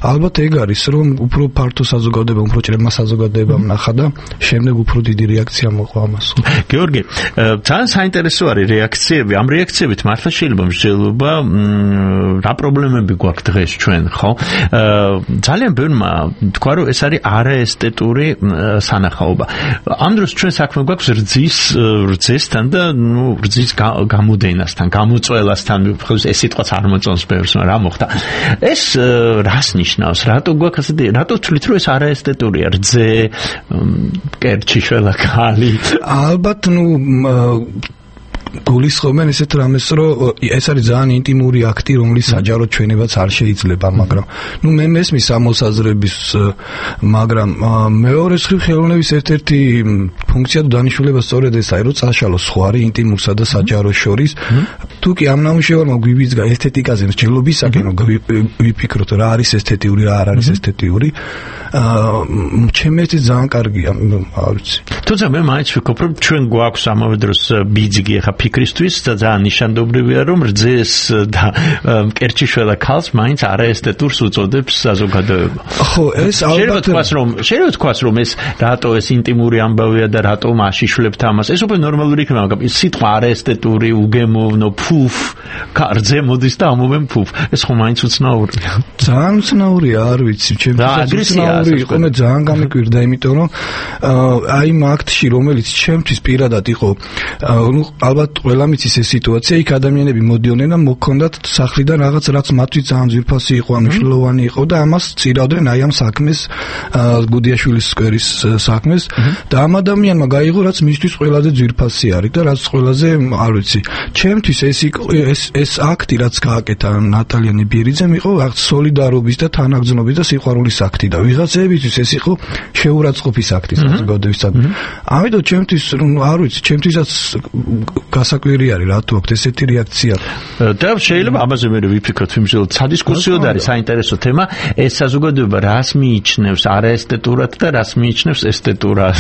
N: ალბათ ეგ არის, რომ უფრო ფართო საზოგადოება, უფრო ჭრებმა საზოგადოებამ ნახა და შემდეგ უფრო დიდი რეაქცია მოყვა ამას.
O: გიორგი, ძალიან საინტერესო არის რეაქციები. ამ რეაქციებით მართლა შეიძლება მსჯელობა რა პრობლემები გვაქვს დღეს ჩვენ, ხო? ძალიან ბევრმა თქვა, რომ ეს არის არაესთეტური სანახაობა. ამ დროს ჩვენ საქმე გვაქვს რძესთან და რძის გამოდენასთან, გამოწველასთან, ეს სიტყვაც არ მოწონს ბევრს, მაგრამ რა მოხდა? ეს რას ნიშნავს? რატო გვაქვს ასეთი, რატო ვთვლით, რომ ეს არაესთეტურია? რძე, კერჩი, შველა ქალი.
N: ალბათ გულისხმობენ ესეთ რამეს, რომ ეს არის ძალიან ინტიმური აქტი, რომლის საჯარო ჩვენებაც არ შეიძლება, მაგრამ მე მესმის ამოსაზრების, მაგრამ მეორე მხრივ ხელოვნების ერთ-ერთი ფუნქცია და დანიშნულება სწორედ ეს არის, რომ წაშალოს სხვარი ინტიმურსა და საჯაროს შორის. თუ კი ამ ნამუშევარმა გვიბიძგა ესთეტიკაზე მსჯელობისაკენ, რომ ვიფიქროთ რა არის ესთეტიური, რა არ არის ესთეტიური, ჩემთვის ძალიან კარგია, არ ვიცი.
O: თუმცა მე მაინც ვფიქრობ, რომ ჩვენ გვაქვს ამავე დროს ბიძგი ახლა ფიქრისთვის და ძალიან ნიშანდობრივია, რომ რძეს და კერჩიშველა ქალს მაინც არაესთეტურს უწოდებს საზოგადოება.
N: ხო, ეს ალბათ
O: შეიძლება თქვას, რომ ეს რატო ეს ინტიმური ამბავია და რატო აშიშვლებთ ამას. ეს უფრო ნორმალური იქნება, მაგრამ სიტყვა არაესთეტური, უგემოვნო, ფუფ, რძე მოდის და ამობენ ფუფ. ეს ხო მაინც უცნაურია.
N: ძალიან უცნაურია, არ ვიცი, ჩემთვის უცნაური იყო, მე ძალიან გამიკვირდა, იმიტომ რომ აი იმ აქტში, რომელიც ჩემთვის პირადად იყო, ალბათ ყველა მიცის ეს სიტუაცია, იქ ადამიანები მოდიოდნენ და მოქონდათ სახლიდან რაღაც, რაც მათთვის ძალიან ძვირფასი იყო, მნიშვნელოვანი იყო და ამას წირავდნენ აი ამ საქმეს, გუდიაშვილის სკვერის საქმეს და ამ ადამიანმა გაიღო, რაც მისთვის ყველაზე ძვირფასი არის და რაც ყველაზე, არ ვიცი, ჩემთვის ეს აქტი, რაც გააკეთა ნატალია ნებიერიძემ, იყო სოლიდარობის და თანაგრძნობის და სიყვარულის აქტი და ვიღაცებისთვის ეს იყო შეურაცხყოფის აქტი საზოგადოებისგან. ამიტომ ჩემთვის, არ ვიცი, ჩემთვისაც გასაკვირი არის რატო აქვს ესეთი რეაქცია
O: და შეიძლება ამაზე მე ვიფიქროთ იმჟელოდ სადისკუსიოდ არის საინტერესო თემა ეს საზოგადოება რას მიიჩნევს არაესთეტურად და რას მიიჩნევს ესთეტურად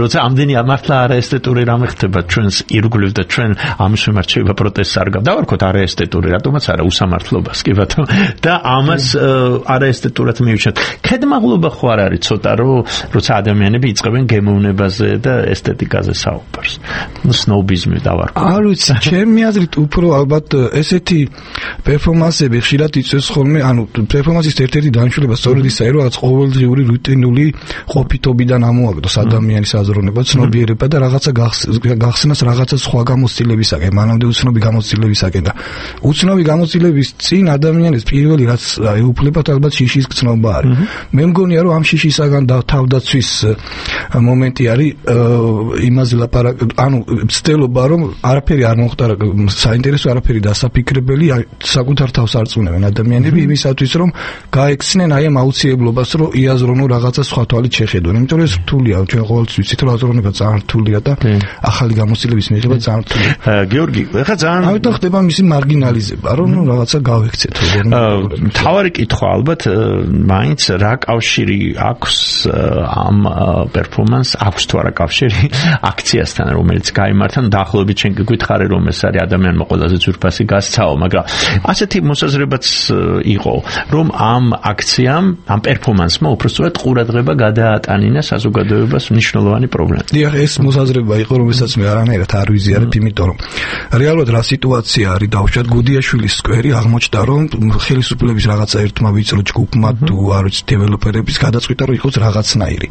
O: როცა ამდენი მართლა არაესთეტური რამე ხდება ჩვენს ირგვლივ და ჩვენ ამის მიმართ შეიძლება პროტესტს არ გავარქოთ არაესთეტური რატომაც არა უსამართლობას კი ბატონო და ამას არაესთეტურად მივიჩნევთ ქედმაღლობა ხო არ არის ცოტა როცა ადამიანები იწყებენ გემოვნებაზე და ესთეტიკაზე საუბარს სნობიზმი დავარქვა
N: არ ვიცი ჩემი აზრით უფრო ალბათ ესეთი პერფორმანსები ხშირად იწვევს ხოლმე ანუ პერფორმანსის ერთ-ერთი დანიშნულება სწორედ ისაა რომ რაღაც ყოველდღიური რუტინული ყოფითობიდან ამოაგდოს ადამიანის აზროვნება ცნობიერება და რაღაცა გახსნას რაღაცა სხვა გამოცდილებისაკენ მანამდე უცნობი გამოცდილებისაკენ და უცნობი გამოცდილების წინ ადამიანის პირველი რაც ეუფლებათ ალბათ შიშის გრძნობა არის მე მგონია რომ ამ შიშისაგან თავდაცვის მომენტი არის იმაზე ლაპარაკ ანუ ცდილობა რომ არაფერი არ მოხდარა საინტერესო არაფერი დასაფიქრებელი საკუთარ თავს არწმუნებენ ადამიანები იმისათვის რომ გაექცნენ აი ამ აუცილებლობას რომ იაზრონ რაღაცა სხვა თვალით შეხედონ იმიტომ რომ ეს რთულია ჩვენ ყოველთვის ვიცით რომ აზროვნება ძალიან რთულია და ახალი გამოცდილების მიღება ძალიან რთულია
O: გიორგი ეხლა ძალიან
N: ამიტომ ხდება მისი მარგინალიზება რომ რაღაცა გავექცეთ
O: თავარი კითხვა ალბათ მაინც რა კავშირი აქვს ამ პერფორმანს აქვს თუ არა კავშირი აქციასთან რომელიც გაიმართა დაახლოებით ჩვენ გითხარი რომ ეს არის ადამიანმა ყველაზე ძვირფასი გასცაო მაგრამ ასეთი მოსაზრებაც იყო რომ ამ აქციამ ამ პერფორმანსმა უბრალოდ ყურადღება გადაატანინა საზოგადოებას მნიშვნელოვანი პრობლემა
N: დიახ ეს მოსაზრება იყო რომელსაც მე არანაირად არ ვიზიარებ იმიტომ რომ რეალურად რა სიტუაცია არის დავუშვათ გუდიაშვილის სკვერი აღმოჩნდა რომ ხელისუფლების რაღაცა ერთმა ვიწრო ჯგუფმა თუ არ ვიცი დეველოპერების გადაწყვიტა რომ იყოს რაღაცნაირი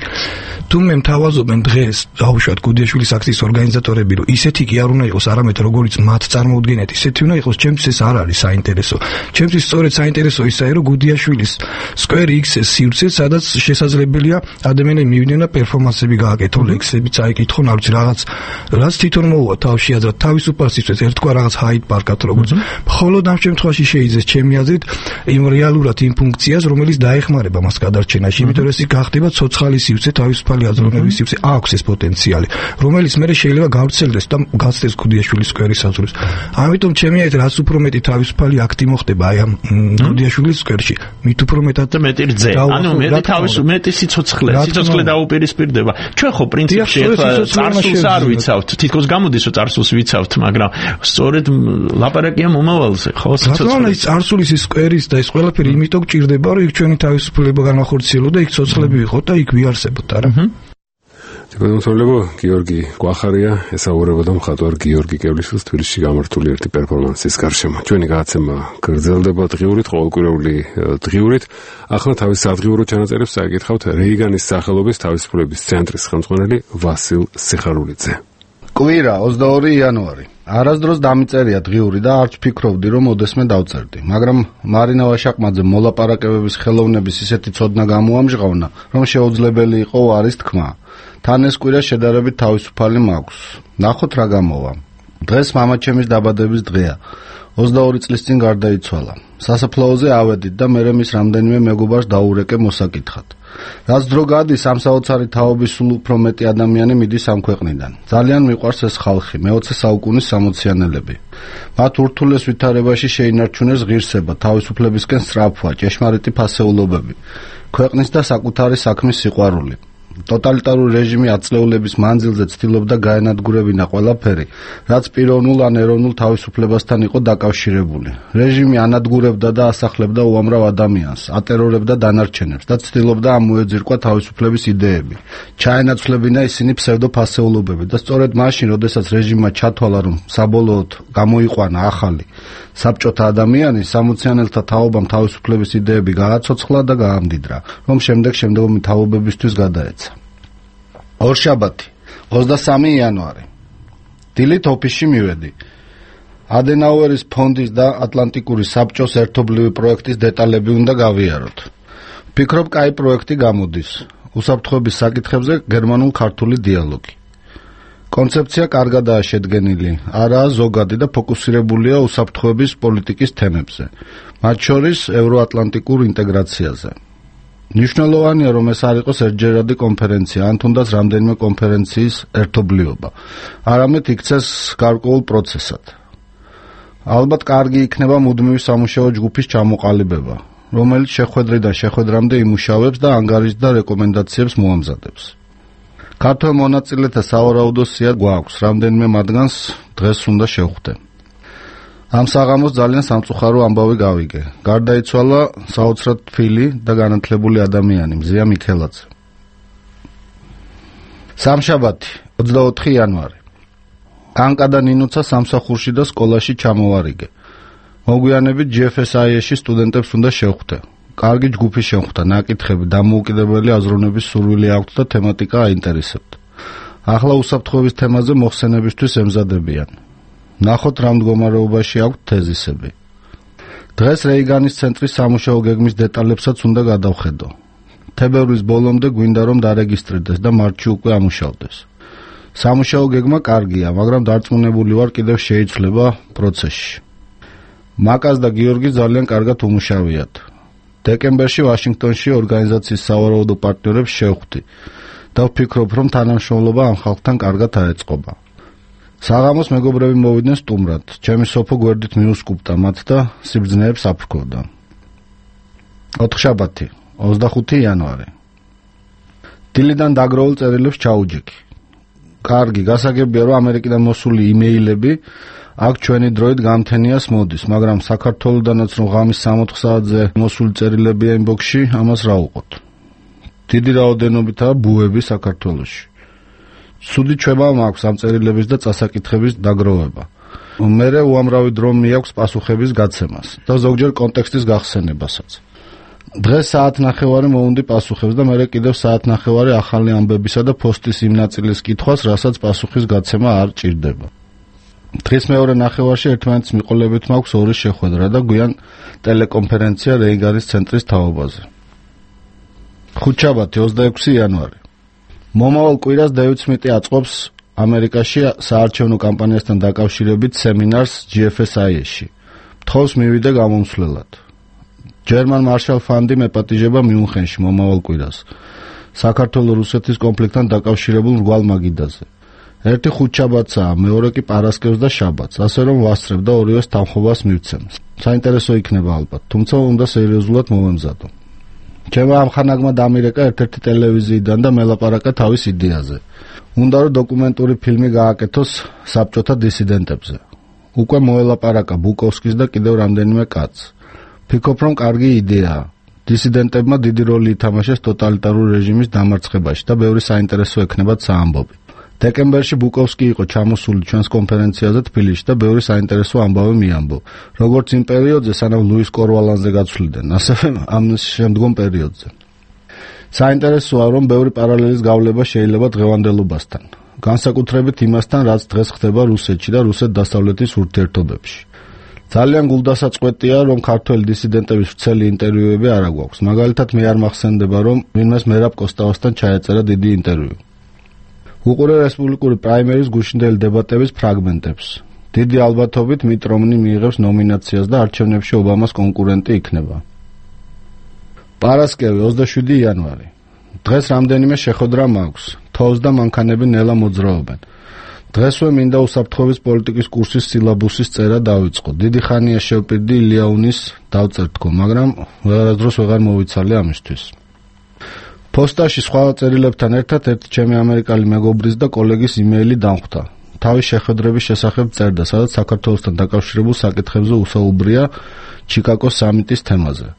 N: თუ მე მთავაზობენ დღეს დავუშვათ გუდიაშვილის აქციის ორგანიზატორები რომ ისეთი კი არ უნდა იყოს არამედ როგორც მათ წარმოუდგენიათ ისეთი უნდა იყოს ჩემთვის ეს არ არის საინტერესო ჩემთვის სწორედ საინტერესო ისაა რომ გუდიაშვილის სკვერი იქცეს სივრცე სადაც შესაძლებელია ადამიანები მივიდნენ და პერფორმანსები გააკეთონ ლექსები წაიკითხონ არ ვიცი რაც თვითონ მოუვა თავში აზრად თავისუფალისთვის ერთგვარ რაღაც ჰაიდ პარკად როგორც მხოლოდ ამ შემთხვევაში შეიძლება ჩემი აზრით იმ რეალურად იმ ფუნქციას რომელიც დაეხმარება მას გადარჩენაში იმიტომ რომ ეს გახდება ცოცხალი სივრცე თავისუფალი აზროვნების სივრცე აქვს ეს პოტენციალი რომელიც მე შეიძლება გავრცელდეს და გაცდეს გუდიაშვილის სკვერის საზღვრებს ამიტომ ჩემი აზრით რაც უფრო მეტი თავისუფალი აქტი მოხდება აი ამ გუდიაშვილის სკვერში მით უფრო მეტად
O: და მეტი რძე ანუ მეტი სიცოცხლე დაუპირისპირდება ჩვენ ხო პრინციპში წარსულს არ ვიცავთ თითქოს გამოდის რომ წარსულს ვიცავთ მაგრამ სწორედ ლაპარაკია მომავალზე ხო
N: სიცოცხლე წარსულის სკვერის და ეს ყველაფერი იმიტომ გჭირდება რომ იქ ჩვენი თავისუფლება განახორციელო და იქ ცოცხლები ვიყოთ და იქ ვიარსებოთ არა
A: გონსოლებო გიორგი კვახარია ესაუბრებოდა მხატვარ გიორგი კევლიშვილს თბილისში გამართული ერთი პერფორმანსის გარშემო. ჩვენი გადაცემა გრძელდება დღიურით, ყოველკვირეული დღიურით. ახლა თავის სადღიურო ჩანაწერებს წაიკითხავთ რეიგანის სახელობის თავისუფლების ცენტრის ხელმძღვანელი ვასილ სიხარულიძე.
E: კვირა 22 იანვარი. არასდროს დამიწერია დღიური და არც ფიქრობდი რომ ოდესმე დავწერდი, მაგრამ მარინა ვაშაყმაძე მოლაპარაკებების ხელოვნების ისეთი ცოდნა გამოამჟღავნა, რომ შეუძლებელი იყო არის თქმა. თან ეს კვირა შედარებით თავისუფალი მაქვს. ნახოთ რა გამოვა. დღეს მამაჩემის დაბადების დღეა. 22 წლის წინ გარდაიცვალა. სასაფლაოზე ავედით და მერე მის რამდენიმე მეგობარს დაურეკე მოსაკითხად. რაც დრო გადის ამ საოცარი თაობის სულ უფრო მეტი ადამიანი მიდის ამ ქვეყნიდან. ძალიან მიყვარს ეს ხალხი, მე-20 საუკუნის სამოციანელები. მათ ურთულეს ვითარებაში შეინარჩუნეს ღირსება, თავისუფლებისკენ სწრაფვა, ჭეშმარიტი ფასეულობები, ქვეყნის და საკუთარი საქმის სიყვარული. ტოტალიტარული რეჟიმი აწლეულების მანძილზე ცდილობდა გაენადგურებინა ყველაფერი, რაც პიროვნულ ან ეროვნულ თავისუფლებასთან იყო დაკავშირებული. რეჟიმი ანადგურებდა და ასახლებდა უამრავ ადამიანს, ატერორებდა დანარჩენებს და ცდილობდა ამოეძირკვა თავისუფლების იდეები. ჩაენაცვლებინა ისინი ფსევდოფასეულობები და სწორედ მაშინ, როდესაც რეჟიმმა ჩათვალა, რომ საბოლოოდ გამოიყვანა ახალი საბჭოთა ადამიანი, სამოციანელთა თაობამ თავისუფლების იდეები გააცოცხლა და გაამდიდრა, რომ შემდეგი თაობებისთვის გადაეცა. ორშაბათი 23 იანვარი. დილით ოფისში მივედი. ადენაუერის ფონდის და ატლანტიკური საბჭოს ერთობლივი პროექტის დეტალები უნდა გავიაროთ. ვფიქრობ, კაი პროექტი გამოდის. უსაფრთხოების საკითხებზე გერმანულ-ქართული დიალოგი. კონცეფცია კარგადაა შედგენილი, არაა ზოგადი და ფოკუსირებულია უსაფრთხოების პოლიტიკის თემებზე, მათ შორის ევროატლანტიკურ ინტეგრაციაზე. მნიშვნელოვანია, რომ ეს არ იყოს ერთჯერადი კონფერენცია, ან თუნდაც რამდენიმე კონფერენციის ერთობლიობა. არამედ იქცეს გარკვეულ პროცესად. ალბათ კარგი იქნება მუდმივი სამუშაო ჯგუფის ჩამოყალიბება, რომელიც შეხვედრიდან შეხვედრამდე იმუშავებს და ანგარიშს და რეკომენდაციებს მოამზადებს. ქართველ მონაწილეთა სავარაუდო სია გვაქვს, რამდენიმე მათგანს დღეს უნდა შევხვდე. ამ საღამოს ძალიან სამწუხარო ამბავი გავიგე. გარდაიცვალა საოცრად თბილი და განათლებული ადამიანი მზია მიქელაძე. სამშაბათი, 24 იანვარი. კანკა და ნინუცა სამსახურში და სკოლაში ჩამოვარიგე. მოგვიანებით GFSIS-ში სტუდენტებს უნდა შევხვდე. კარგი ჯგუფი შეხვდა, ნაკითხები, დამოუკიდებელი აზროვნების სურვილი აქვთ და თემატიკა აინტერესებთ. ახლა უსაფრთხოების თემაზე მოხსენებისთვის ემზადებიან. ნახოთ რა მდგომარეობაში აქვთ თეზისები. დღეს რეიგანის ცენტრის სამუშაო გეგმის დეტალებსაც უნდა გადავხედო. თებერვლის ბოლომდე გვინდა რომ დარეგისტრირდეს და მარტში უკვე ამუშავდეს. სამუშაო გეგმა კარგია, მაგრამ დარწმუნებული ვარ კიდევ შეიცვლება პროცესში. მაკას და გიორგი ძალიან კარგად უმუშავიათ. დეკემბერში ვაშინგტონში ორგანიზაციის სავარაუდო პარტნიორებს შევხვდი და ვფიქრობ, რომ თანამშრომლობა ამ ხალხთან კარგად აეწყობა. საღამოს მეგობრები მოვიდნენ სტუმრად. ჩემი სოფო გვერდით მიუსკუპტა მათ და სიბრძნეებს აფრქოვდა. ოთხშაბათი, 25 იანვარი. დილიდან დაგროულ წერილებს ჩაუჯექი. კარგი, გასაგებია, რომ ამერიკიდან მოსული იმეილები აქ ჩვენი დროით გამთენიას მოდის, მაგრამ საქართველოდანაც რომ ღამის 60 საათზე მოსული წერილებია ინბოქსში, ამას რა უყოთ. დიდი რაოდენობითაა ბუები საქართველოში. სუდი ჩვევა მაქვს ამ წერილების და წასაკითხების დაგროვება. მერე უამრავი დრო მიაქვს პასუხების გაცემას და ზოგჯერ კონტექსტის გახსენებასაც. დღეს საათნახევარი მოუნდი პასუხებს და მერე კიდევ საათნახევარი ახალი ამბებისა და პოსტის იმ ნაწილის კითხვას, რასაც პასუხის გაცემა არ ჭირდება. დღეს მეორე ნახევარში ერთმანეთის მიყოლებით მაქვს ორი შეხვედრა და გვიან ტელეკონფერენცია რეიგანის ცენტრის თაობაზე. ხუთშაბათი, 26 იანვარი. მომავალ კვირას დევიდ სმიტი აწყობს ამერიკაში საარჩევნო კამპანიასთან დაკავშირებით სემინარს GFSIS-ში. თხოვს მივიდე გამომცვლელად. ჯერმან მარშალ ფანდი მეპატიჟება მიუნხენში მომავალ კვირას. საქართველო-რუსეთის კონფლიქტთან დაკავშირებულ რგვალ მაგიდაზე. ერთი ხუთშაბათსაა, მეორე კი პარასკევს და შაბათს, ასე რომ ვასწრებ და ორივეს თანხმობას მივცემ. საინტერესო იქნება ალბათ, თუმცა უნდა სერიოზულად მოვემზადო. ჩემმა ამხანაგმა დამირეკა ერთ-ერთი ტელევიზიიდან და მელაპარაკა თავის იდეაზე. უნდა რომ დოკუმენტური ფილმი გააკეთოს საბჭოთა დისიდენტებზე. უკვე მოელაპარაკა ბუკოვსკის და კიდევ რამდენიმე კაცს. ფიქრობ, რომ კარგი იდეაა. დისიდენტებმა დიდი როლი ითამაშეს ტოტალიტარული რეჟიმის დამარცხებაში და ბევრი საინტერესო ექნებათ საამბობი. დეკემბერში ბუკოვსკი იყო ჩამოსული ჩვენს კონფერენციაზე თბილისში და ბევრი საინტერესო ამბავი მიამბო. როგორც იმ პერიოდზე, სანამ ლუის კორვალანზე გაცვლიდნენ, ასევე ამ შემდგომ პერიოდზე. საინტერესოა, რომ ბევრი პარალელის გავლება შეიძლება დღევანდელობასთან. განსაკუთრებით იმასთან, რაც დღეს ხდება რუსეთში და რუსეთ-დასავლეთის ურთიერთობებში. ძალიან გულდასაწყვეტია, რომ ქართველი დისიდენტების ვრცელი ინტერვიუები არ აგვაქვს. მაგალითად, მე არ მახსენდება, რომ ვინმეს მერაბ კოსტავასთან ჩაეწერა დიდი ინტერვიუ. უყურე რესპუბლიკური პრაიმერის გუშინდელი დებატების ფრაგმენტებს. დიდი ალბათობით მიტ რომნი მიიღებს ნომინაციას და არჩევნებში ობამას კონკურენტი იქნება. პარასკევი, 27 იანვარი. დღეს რამდენიმე შეხვედრა მაქვს. თოვს და მანქანები ნელა მოძრაობენ. დღესვე მინდა უსაფრთხოების პოლიტიკის კურსის სილაბუსის წერა დავიწყო. დიდი ხანია შევპირდი ილიაუნის დავწერთქო, მაგრამ ვეღარასდროს ვეღარ მოვიცალე ამისთვის. პოსტაში სხვა წერილებთან ერთად ერთი ჩემი ამერიკელი მეგობრის და კოლეგის იმეილი დამხვდა. თავის შეხვედრების შესახებ წერდა, სადაც საქართველოსთან დაკავშირებულ საკითხებზე უსაუბრია ჩიკაგოს სამიტის თემაზე.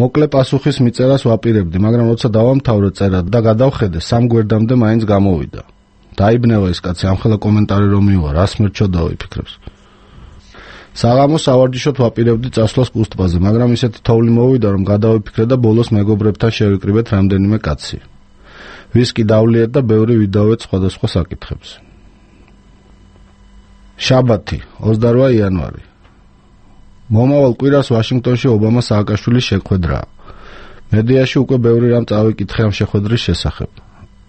E: მოკლე პასუხის მიწერას ვაპირებდი, მაგრამ როცა დავამთავრე წერა და გადავხედე, სამ გვერდამდე მაინც გამოვიდა. დაიბნევა ეს კაცი, ამხელა კომენტარი რომ მივა, რას მერჩოდაო იფიქრებს. საღამოს სავარჯიშოდ ვაპირებდი წასვლას კუსტბაზე, მაგრამ ისეთი თოვლი მოვიდა, რომ გადავიფიქრე და ბოლოს მეგობრებთან შევიკრიბეთ რამდენიმე კაცი. ვისკი დავლიეთ და ბევრი ვიდავეთ სხვადასხვა საკითხებზე. შაბათი, 28 იანვარი. მომავალ კვირას ვაშინგტონში ობამა სააკაშვილის შეხვედრაა. მედიაში უკვე ბევრი რამ წავიკითხე ამ შეხვედრის შესახებ.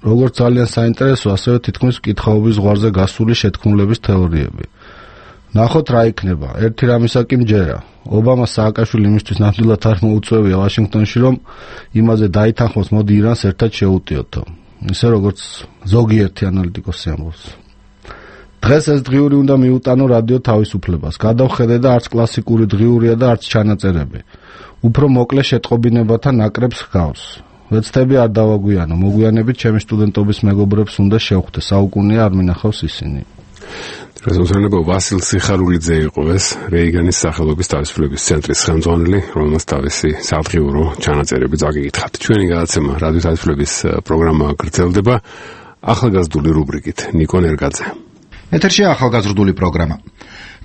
E: როგორც ძალიან საინტერესო, ასევე თითქმის მკითხაობის ზღვარზე გასული შეთქმულების თეორიები. ნახოთ რა იქნება. ერთი რამისა კი მჯერა. ობამა სააკაშვილი იმისთვის ნამდვილად არ მოუწევია ვაშინგტონში, რომ იმაზე დაითანხმოს, მოდი ირანს ერთად შეუტიოთო. ისე როგორც ზოგიერთი ანალიტიკოსი ამბობს. დღეს ეს დღიური უნდა მიუტანო რადიო თავისუფლებას. გადავხედე და არც კლასიკური დღიურია და არც ჩანაწერები. უფრო მოკლე შეტყობინებათა ნაკრებს ჰგავს. ვეცდები არ დავაგვიანო. მოგვიანებით ჩემი სტუდენტობის მეგობრებს უნდა შევხვდე. საუკუნეა არ მინახავს ისინი.
A: რეზოლუციონება ვასილ სიხარულიძე იყო ეს რეიგანის სახელობის თავისუფლების ცენტრის ხელმძღვანელი, რომელმაც თავისი სადღიურო ჩანაწერები წაგიკითხათ. ჩვენი გადაცემა რადიო თავისუფლების პროგრამა გრძელდება ახალგაზრდული რუბრიკით. ნიკო ნერგაძე.
P: ეთერშია ახალგაზრდული პროგრამა.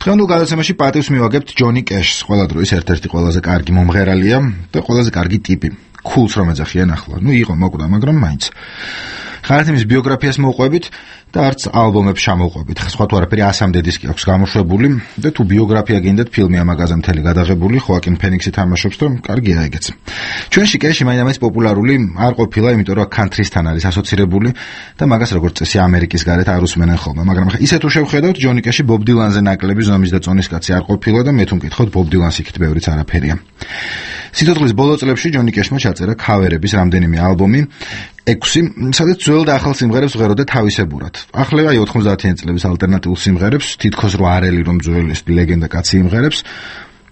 P: დღევანდელ გადაცემაში პატივს მივაგებთ ჯონი კეშს, ყველა დროის ერთ-ერთი ყველაზე კარგი მომღერალია და ყველაზე კარგი ტიპი. ქულს რომ ეძახიან ახლა. იყო მოკვდა, მაგრამ მაინც. ხართ იმის ბიოგრაფიას მოვყვებით და არც ალბომებს ჩამოვყვებით. სხვა თუ არაფერი 100-მდე დისკი აქვს გამოშვებული და თუ ბიოგრაფია გინდათ ფილმი ამაგაზე მთელი გადაღებული, ხოაკინ ფენიქსი თამაშობს და კარგია ეგეც. ჩვენში კეში მაინც პოპულარული არ ყოფილა, იმიტომ რომ კანთრისთან არის ასოცირებული და მაგას როგორც წესი ამერიკის გარეთ არ უსმენენ ხოლმე, მაგრამ ისე თუ შევხედავთ, ჯონი კეში ბობ დილანზე ნაკლები ზომის და წონის კაცი არ ყოფილა და მე თუ მკითხოთ ბობ დილანს იქით ბევრიც არაფერია. სიცოცხლის ბოლო წლებში ჯონი კეშმა ჩაწერა ქავერების რამდენიმე ალბომი, 6, სადაც ძველ და ახალ სიმღერებს ვღეროდა თავისებურად. ახლა 90-იან წლების ალტერნატიულ სიმღერებს, თითქოს რო არელი რომ ძველი ლეგენდა კაცი იმღერებს,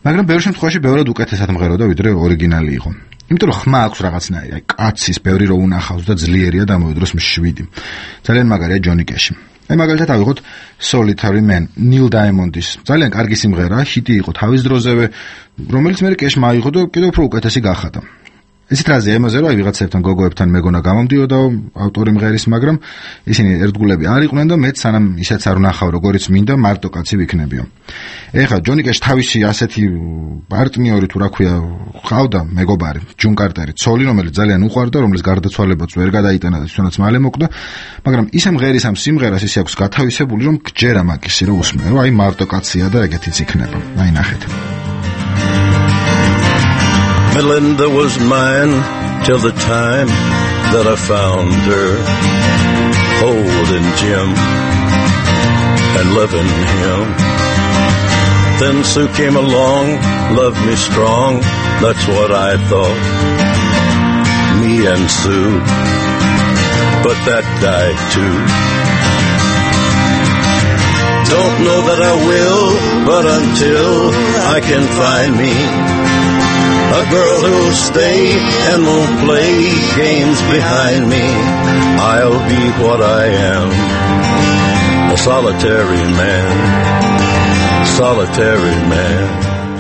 P: მაგრამ ბევრ შემთხვევაში ბევრად უკეთესად მღეროდა ვიდრე ორიგინალი იყო. იმიტომ რომ ხმა აქვს რაღაცნაირი, კაცის ბევრი რო უნახავს და ძლიერია დამოიდროს 7. ძალიან მაგარია ჯონი კეში. მაგალითად ავიღოთ Solitary Man, ნილ დაემონდის. ძალიან კარგი სიმღერა, ჰიტი იყო თავის დროზევე, რომელიც მე კეშმა აიღო და კიდევ უფრო უკეთესი გახადა. ესეთ რაზე ემაზე რომ ვიღაცებთან გოგოებთან მეგონა გამომდიოდა ავტორი მღერის, მაგრამ ისინი ერთგულები არ იყვნენ და მეც სანამ ისეც არ ვნახავ როგორიც მინდა მარტო კაცი ვიქნებიო. ეხლა ჯონი კეშ თავისი ასეთი პარტნიორი თუ რა ქვია ყავდა მეგობარი ჯონ კარტერი ცოლი, რომელიც ძალიან უყვარდა, რომლის გარდაცვალებაც ვერ გადაიტანა და თვითონაც მალე მოკვდა, მაგრამ ისე მღერის ამ სიმღერას ისე აქვს გათავისებული, რომ გჯერა მაგისი რომ უსმენ, რომ აი მარტო კაცია და ეგეთიც იქნება. აი ნახეთ.
Q: Melinda was mine till the time that I found her holding Jim and loving him. Then Sue came along, loved me strong, that's what I thought, me and Sue, but that died too. Don't know that I will, but until I can find me a girl who'll stay and won't play games behind me, I'll be what I am, a solitary man, solitary man.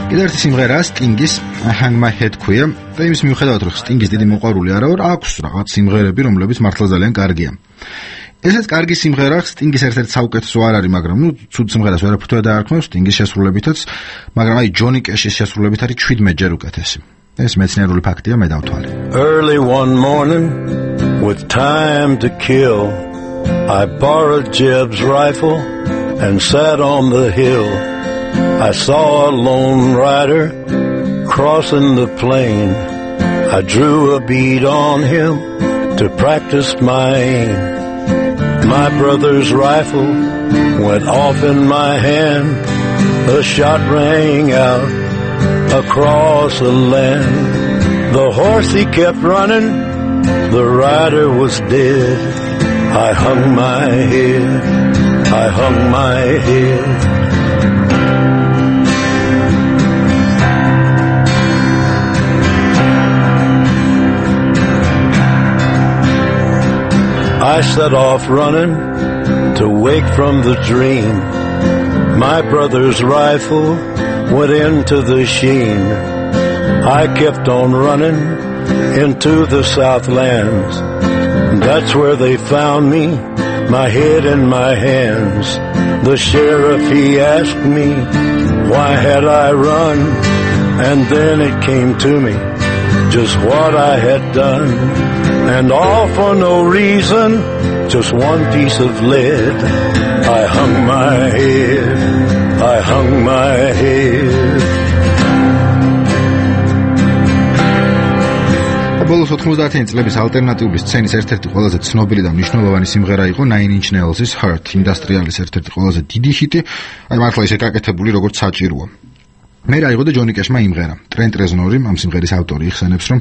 P: კიდევ ერთი სიმღერა სტინგის Hang My Head ქვია და იმის მიუხედავად რომ სტინგის დიდი მოყვარული არა ვარ, აქვს რაღაც სიმღერები, რომლებიც მართლა ძალიან კარგია. ესეც კარგი სიმღერა, სტინგის ერთ-ერთი საუკეთესო არ არის, მაგრამ ცუდ სიმღერას ვერაფერია დაარქმევს სტინგის შესრულებითაც, მაგრამ აი ჯონი კეშის შესრულებით არის 17-ჯერ უკეთესი. ეს მეცნიერული ფაქტია, მე დავთვალე.
Q: Early one morning with time to kill, I borrowed Jeb's rifle and sat on the hill. I saw a lone rider crossing the plain. I drew a bead on him to practice my aim. My brother's rifle went off in my hand. A shot rang out across the land. The horse he kept running, the rider was dead. I hung my head, I hung my head. I set off running to wake from the dream. My brother's rifle went into the sheen. I kept on running into the Southlands. That's where they found me, my head in my hands. The sheriff, he asked me, why had I run? And then it came to me, just what I had done. And all for no reason, just one piece of lead. I hung my head, I hung my head.
P: ბოლოს 90-იანი წლების ალტერნატიული სცენის ერთ-ერთი ყველაზე ცნობილი და მნიშვნელოვანი სიმღერა იყო Nine Inch Nails-ის Hurt, ინდუსტრიალის ერთ-ერთი ყველაზე დიდი ჰიტი, აი მართლა ისე გაკეთებული როგორც საჭიროა. მე აიღო და ჯონი კეშმა იმღერა. ტრენტ რეზნორი, ამ სიმღერის ავტორი, იხსენებს, რომ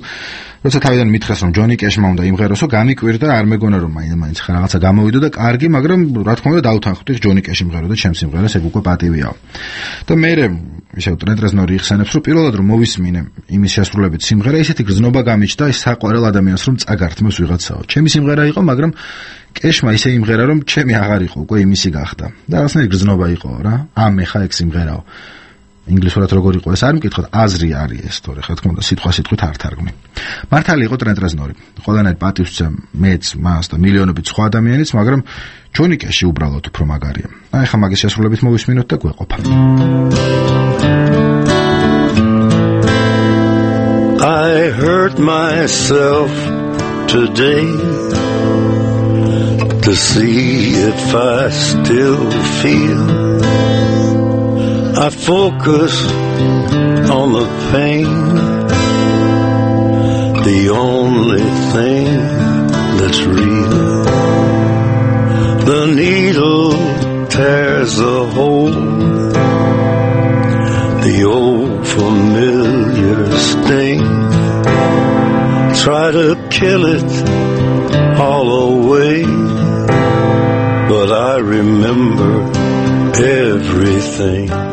P: როცა თავიდან მითხრას, რომ ჯონი კეშმა უნდა იმღეროსო, გამიკვირდა, არ მეგონა რომ მაინც რაღაცა გამოვიდო და კარგი, მაგრამ რა თქმა უნდა დაუთანხმდი ჯონი კეში იმღეროდა ჩემს სიმღერას, ეგ უკვე პატივია. და მე ისევ ტრენტ რეზნორი იხსენებს, რომ პირველად რომ მოვისმინე იმის შესრულებით სიმღერა, ისეთი გრძნობა გამიჩნდა ის საყვარელ ადამიანს რომ წაგართმევს ვიღაცაო. ჩემი სიმღერა იყო, მაგრამ კეშმა ისე იმღერა, რომ ჩემი აღარ იყო, უკვე იმისი გახდა. და რაღაცნაირი გრძნობა იყო რა. მე ხა ეგ სიმღერაო. ინგლისურად როგორ იყო ეს არ მკითხოთ, აზრი არის ეს თორე რა თქმა უნდა სიტყვასიტყვით არ თარგმნი. მართალი იყო ტრენტ რეზნორი. ყველანაირ პატივს ვცემ მეც, მას და მილიონობით სხვა ადამიანიც, მაგრამ ჯონი კეში უბრალოდ უფრო მაგარია. აი ხა მაგის შესრულებით მოვისმინოთ და გვეყოფა.
Q: I hurt myself today to see if I still feel. I focus on the pain, the only thing that's real. The needle tears a hole, the old familiar sting. Try to kill it all away, but I remember everything.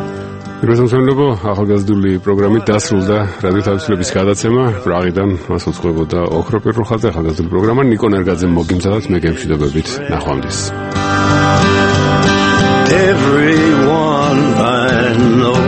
A: რეზონსონლებო ახალგაზრდული პროგრამით დასრულდა რადიო თავისუფლების გადაცემა. პრაღიდან მას უძღვებოდა ოქრო პირრუხაძე. ახალგაზრდული პროგრამა ნიკო ნერგაძემ მოგიმზადოთ. მე გემშვიდობებით. ნახვამდის.
Q: Everyone I know